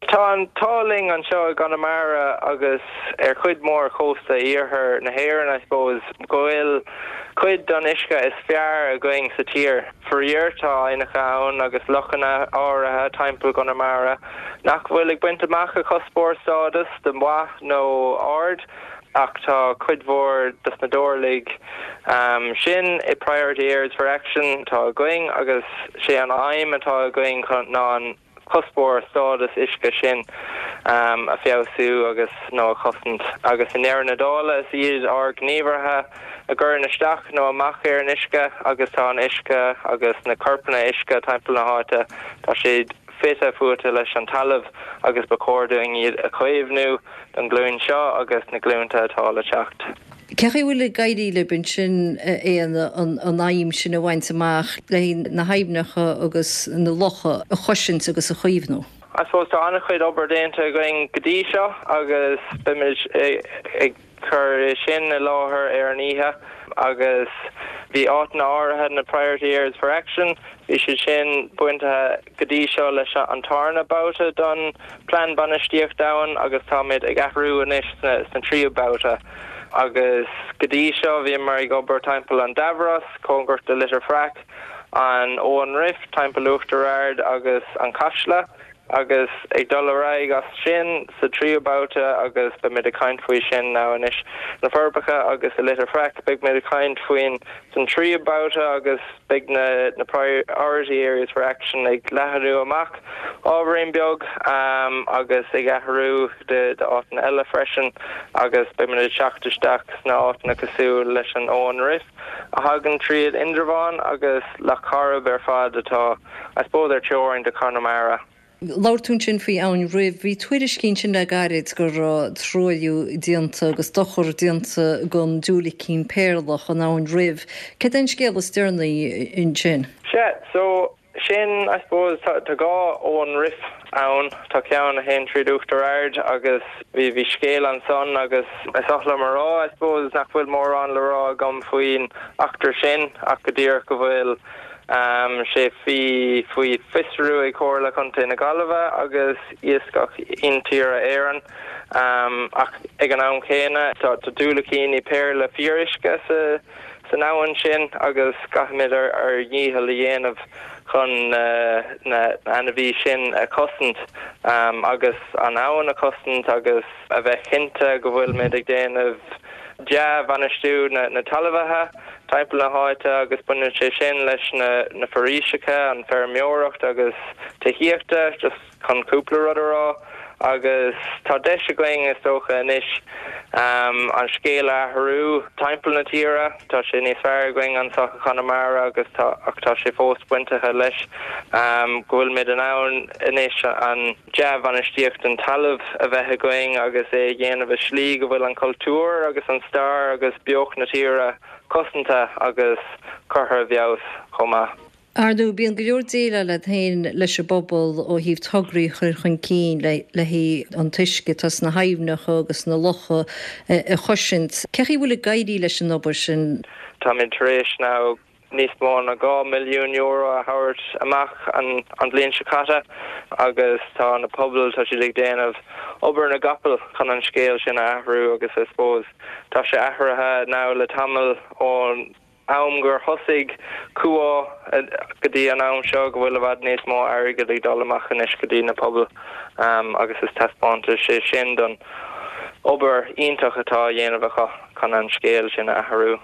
Tá an t-ádh linn anseo i gConamara agus ar chuid mhór chósta iarthar na hÉireann, I suppose, go bhfuil cuid den uisce is fearr againn sa tír. Faraor, tá aibhneacha ann agus lochanna áirithe timpeall Chonamara nach bhfuil ag baint amach a chuspóir stádas de mhaith nó ard, ach tá cuid mhór dos na dobharlaigh sin i Priority Areas for Action atá againn agus sé an aidhm atá againn ná an cuspóir stádas uisce sin a feabhsú agus nó a chosaint. Agus i ndeireadh na dála is iad ár ngníomhartha a gcuireann isteach nó amach ar an uisce agus tá an uisce agus na corpanna uisce timpeall na háite, tá siad fite fuaite leis an talamh agus ba chóir dúinn iad a chaomhnú don ghlúin seo agus na glúnta atá le teacht. Cén chaoi a bhfuil ag éirí libh ansin, a Éanna, an aidhm sin a bhaint amach le na haibhneacha agus na locha a chosaint agus a chaomhnú? I suppose tá an-chuid obair déanta againn go dtí seo agus beimid ag cur sin i láthair ar an oíche agus bhí áiteanna áirithe na Priority Areas for Action, bhí siad sin bainte go dtí seo leis an tarna babhta don Plean Bainistíochta Abhann agus táimid ag athrú anois sna tríú babhta agus go dtí seo bhíomar ag obair timpeall an Dubhros, cóngarach do Leitir Fraic, an Abhainn Rif, timpeall Uachtar Ard agus an Caiseal. Agus ag dul ar aghaidh as sin sa tríú babhta agus beimid ag caint faoi sin now anois na Forbacha agus i Leitir Fraic beidh muid ag caint faoin san tríú babhta agus beidh na na priority areas for action ag leathnú amach ábhairín beag agus ag athrú de d'áiteanna eile freisin agus beidh muid ag teacht isteach sna áiteanna cosúil leis an Abhainn Rif a thagann tríd Indreabhán agus Loch Coirib ar fad atá I suppose ar teorainn de Chonamara. Labhair tú ansin faoi Abhainn Rif. Bhí tuairiscí ansin le gairid go raibh truailliú déanta agus dochar déanta don diúilicín péarlach in Abhainn Rif. Céard é an scéal is deireanaí ansin? Sea, so sin I suppose tá tá dhá Abhainn Rif ann. Tá ceann a théann tríd Uachtar Ard agus bhí bhí scéal ansan agus is oth liom a rá I suppose nach bhfuil mórán le rá agam faoin eachtra sin ach go díreach go bhfuil sé faoi faoi fiosrú ag Comhairle Chontae na Gaillimhe agus Iascach Intíre Éireann ach ag an am chéanna tá tá diúilicíní péarla fíoruisce sa san abhainn sin agus caithfimid ár ár ndícheall a dhéanamh chun na hainmhithe sin a chosaint agus an abhainn a chosaint agus a bheith cinnte go bhfuilimid ag déanamh dea-bhainistiú na na talmhaithe timpeall na háite agus baineann sé sin leis na na foraoiseacha, an feirmeoireacht agus tithíochta, just chun cúpla rud a rá. Agus tá deis againn is dócha anois an scéal a athrú timpeall na tíre. Tá sé níos fearr againn anseo i Conamara agus tá ach tá sé fós bainteach leis go bhfuilimid in ann anois an dea-bhainistíocht den talamh a bheith againn agus é a dhéanamh i slí go bhfuil an cultúr agus an stair agus beocht na tíre cosanta agus curtha i bhfeabhas chomh maith. Ar ndóigh, bíonn go leor déileáil agat féin leis an bpobal ó thaobh tograí a chur chun cinn le haghaidh an t-uisce atá sna haibhneacha agus sna locha a chosaint. Cé chaoi bhfuil ag éirí leis an obair sin? Táimid tar éis now níos mó ná dhá milliún euro a thabhairt amach an an bhliain seo caite agus tá na pobail, tá siad ag déanamh obair na gcapall chun an scéal sin a athrú agus I suppose tá sé athraithe now le tamall ón am gur thosaigh Cumhá go dtí an am seo go bhfuil i bhfad níos mó airgid ag dul amach anois go dtí na pobail agus is taispeántas é sin don obair iontach atá á dhéanamh acu chun an scéal sin a athrú.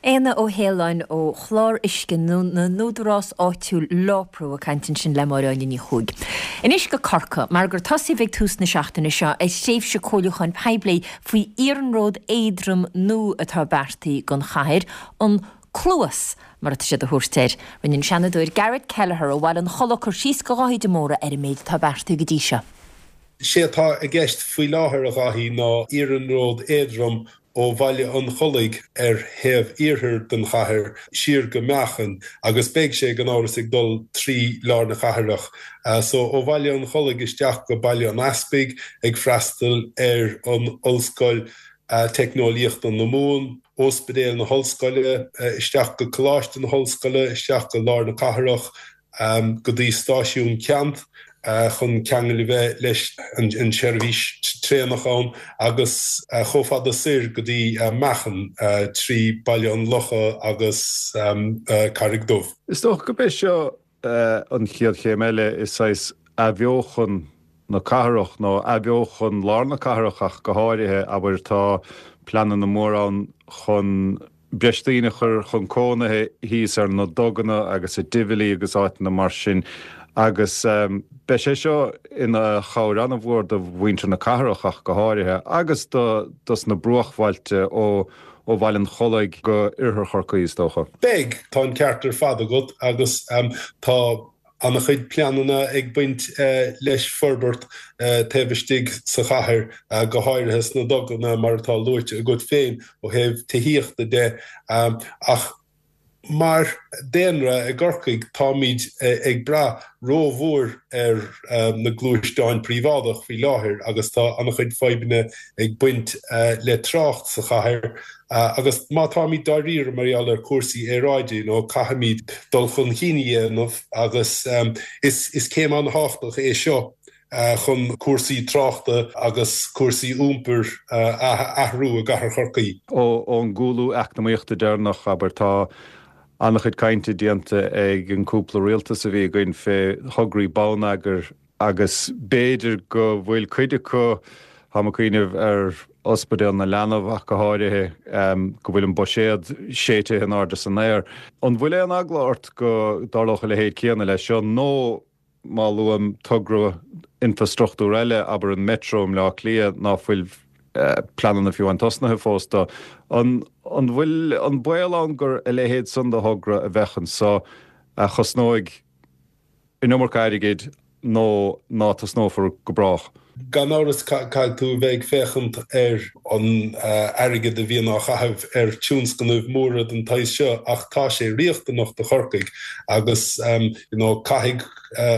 Éanna Ó hAoláin ó Chlár Uisce na nÚdarás Áitiúil Lápru ag caint ansin le Máire Áine Ní Chuaig. Anois go Corcaigh, mar gur tosaíodh ag tús na seachtaine seo ar thréimhse comhairliúcháin poiblí faoi iarnród éadrom nua atá beartaithe don chathair, an Cluas mar atá siad a thabhairt air. Rinne an Seanadóir Garrett Kelleher ó Bhaile an Chollaigh cur síos do Dháithí de Mórdha ar an méid atá beartaithe go dtí seo. Sé atá i gceist faoi láthair, a Dháithí, ná iarnród éadrom ó Bhaile an Chollaigh ar thaobh iarthair den chathair siar go Meáchan agus beidh sé gan amhras ag dul trí lár na cathrach. So ó Bhaile an Chollaigh isteach go Baile an Easpaig ag freastal ar an Ollscoil Teicneolaíochta na Mumhan, Ospidéal na hOllscoile, isteach go Coláiste na hOllscoile, isteach go lár na cathrach, go dtí Stáisiún Ceannt chun ceangal a bheith leis an tseirbhís traenach ann agus chomh fada soir go dtí Meáchan trí Baile an Locha agus Carraig Dubh. Is dócha gurb é seo an chéad chéim eile i saghas athbheochan na cathrach nó athbheochan lár na cathrach ach go háirithe, abair tá pleananna móra ann chun breis daoine a chur chun cónaithe thíos ar na duganna agus i Tivoli agus áiteanna mar sin agus beidh sé seo ina chabhair an-mhór do mhuintir na cathrach ach go háirithe agus do dos na bruachbhailte ó ó Bhaile an Chollaigh go Oirthear Chorcaí is dócha. Beidh, tá an ceart ar fad agat agus tá an-chuid pleananna ag baint leis forbairt taobh istigh sa chathair, go háirithe sna duganna mar atá luaite agat féin ó thaobh tithíochta de. Ach mar daonra i gCorcaigh táimid ag brath rómhór ar na gluaisteáin príobháideach faoi láthair agus tá an-chuid fadhbanna ag baint le trácht sa chathair. Agus má táimid dáiríre mar gheall ar chúrsaí aeráide, you know, caithfimid dul chun cinn a dhéanamh agus is céim an-thábhachtach é seo chun cúrsaí tráchta agus cúrsaí iompair a athrú i gcathair Chorcaí. Ón gcúlú eacnamaíochta deireanach, abair, tá an-chuid cainte déanta ag an gcúpla rialtas a bhí againn fé thograí bonneagair agus b'fhéidir go bhfuil cuid acu, táim ag cuimhneamh ar Ospidéal na Leanbh ach go háirithe, go bhfuil an buiséad séidte in airde san aer. An bhfuil aon eagla ort go dtarlódh a leithéid céanna leis seo nó má luaim togra infrastruchtúr eile, abair an Metro i mBleá Cliath, ná fuil pleananna fiú amháin tosnaithe fós dó. An bhfuil an baol ann gur a leithéid san de thogra a bheadh anso a chosnóidh an iomarca airgid nó ná tosnófar go brách? Gan amhras caithfidh tú a bheith ag féachaint ar an airgead a bhíonn á chaitheamh ar tionscnaimh mhóra den tsaghas seo ach tá sé riachtanach do Chorcaigh agus you know caithfidh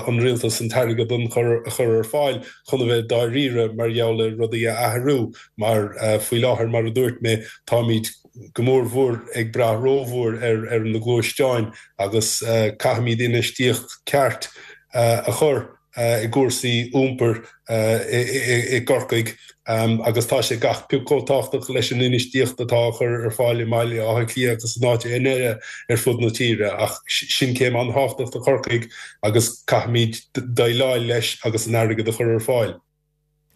an rialtas an t-airgead a chur ar fáil chun a bheith dáiríre mar gheall ar rudaí a athrú mar faoi láthair mar a dúirt mé táimid go mór mhór ag brath rómhór ar ar na gluaisteáin agus caithfimid infheistíocht ceart a chur i gcúrsaí iompair i gCorcaigh agus tá sé gach pioc chomh tábhachtach leis an infheistíocht atá á chur ar fáil i mBaile Átha Cliath agus in áiteanna eile ar fud na tíre. Ach sin céim an-thábhachtach do Chorcaigh agus caithfimid déileáil leis agus an airgead a chur ar fáil.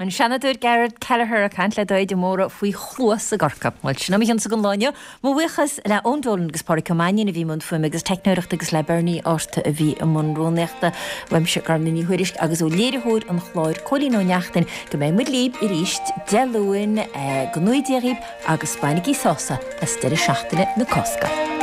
An Seanadóir Gerard Kelleher ag caint le Daid de Mórdha faoi chluas i gCorcaigh. Bhuel, sin é mo chionsa don lá inniu. Mo bhuíochas le Eoin Dolan agus Pádraic Ó Mainnín a bhí i mbun fuaime agus teicneoireachta agus le Bernie Arta a bhí i mbun rúnaíochta. Uaimse Gormfhlaith Ní Thuairisg agus ó léiritheoir an chláir Cóilín Ó Neachtain go mbeidh muid libh arís Dé Luain go ngnóthaí Dia dhaoibh agus bainigí sásamh as deireadh seachtaine na Cásca.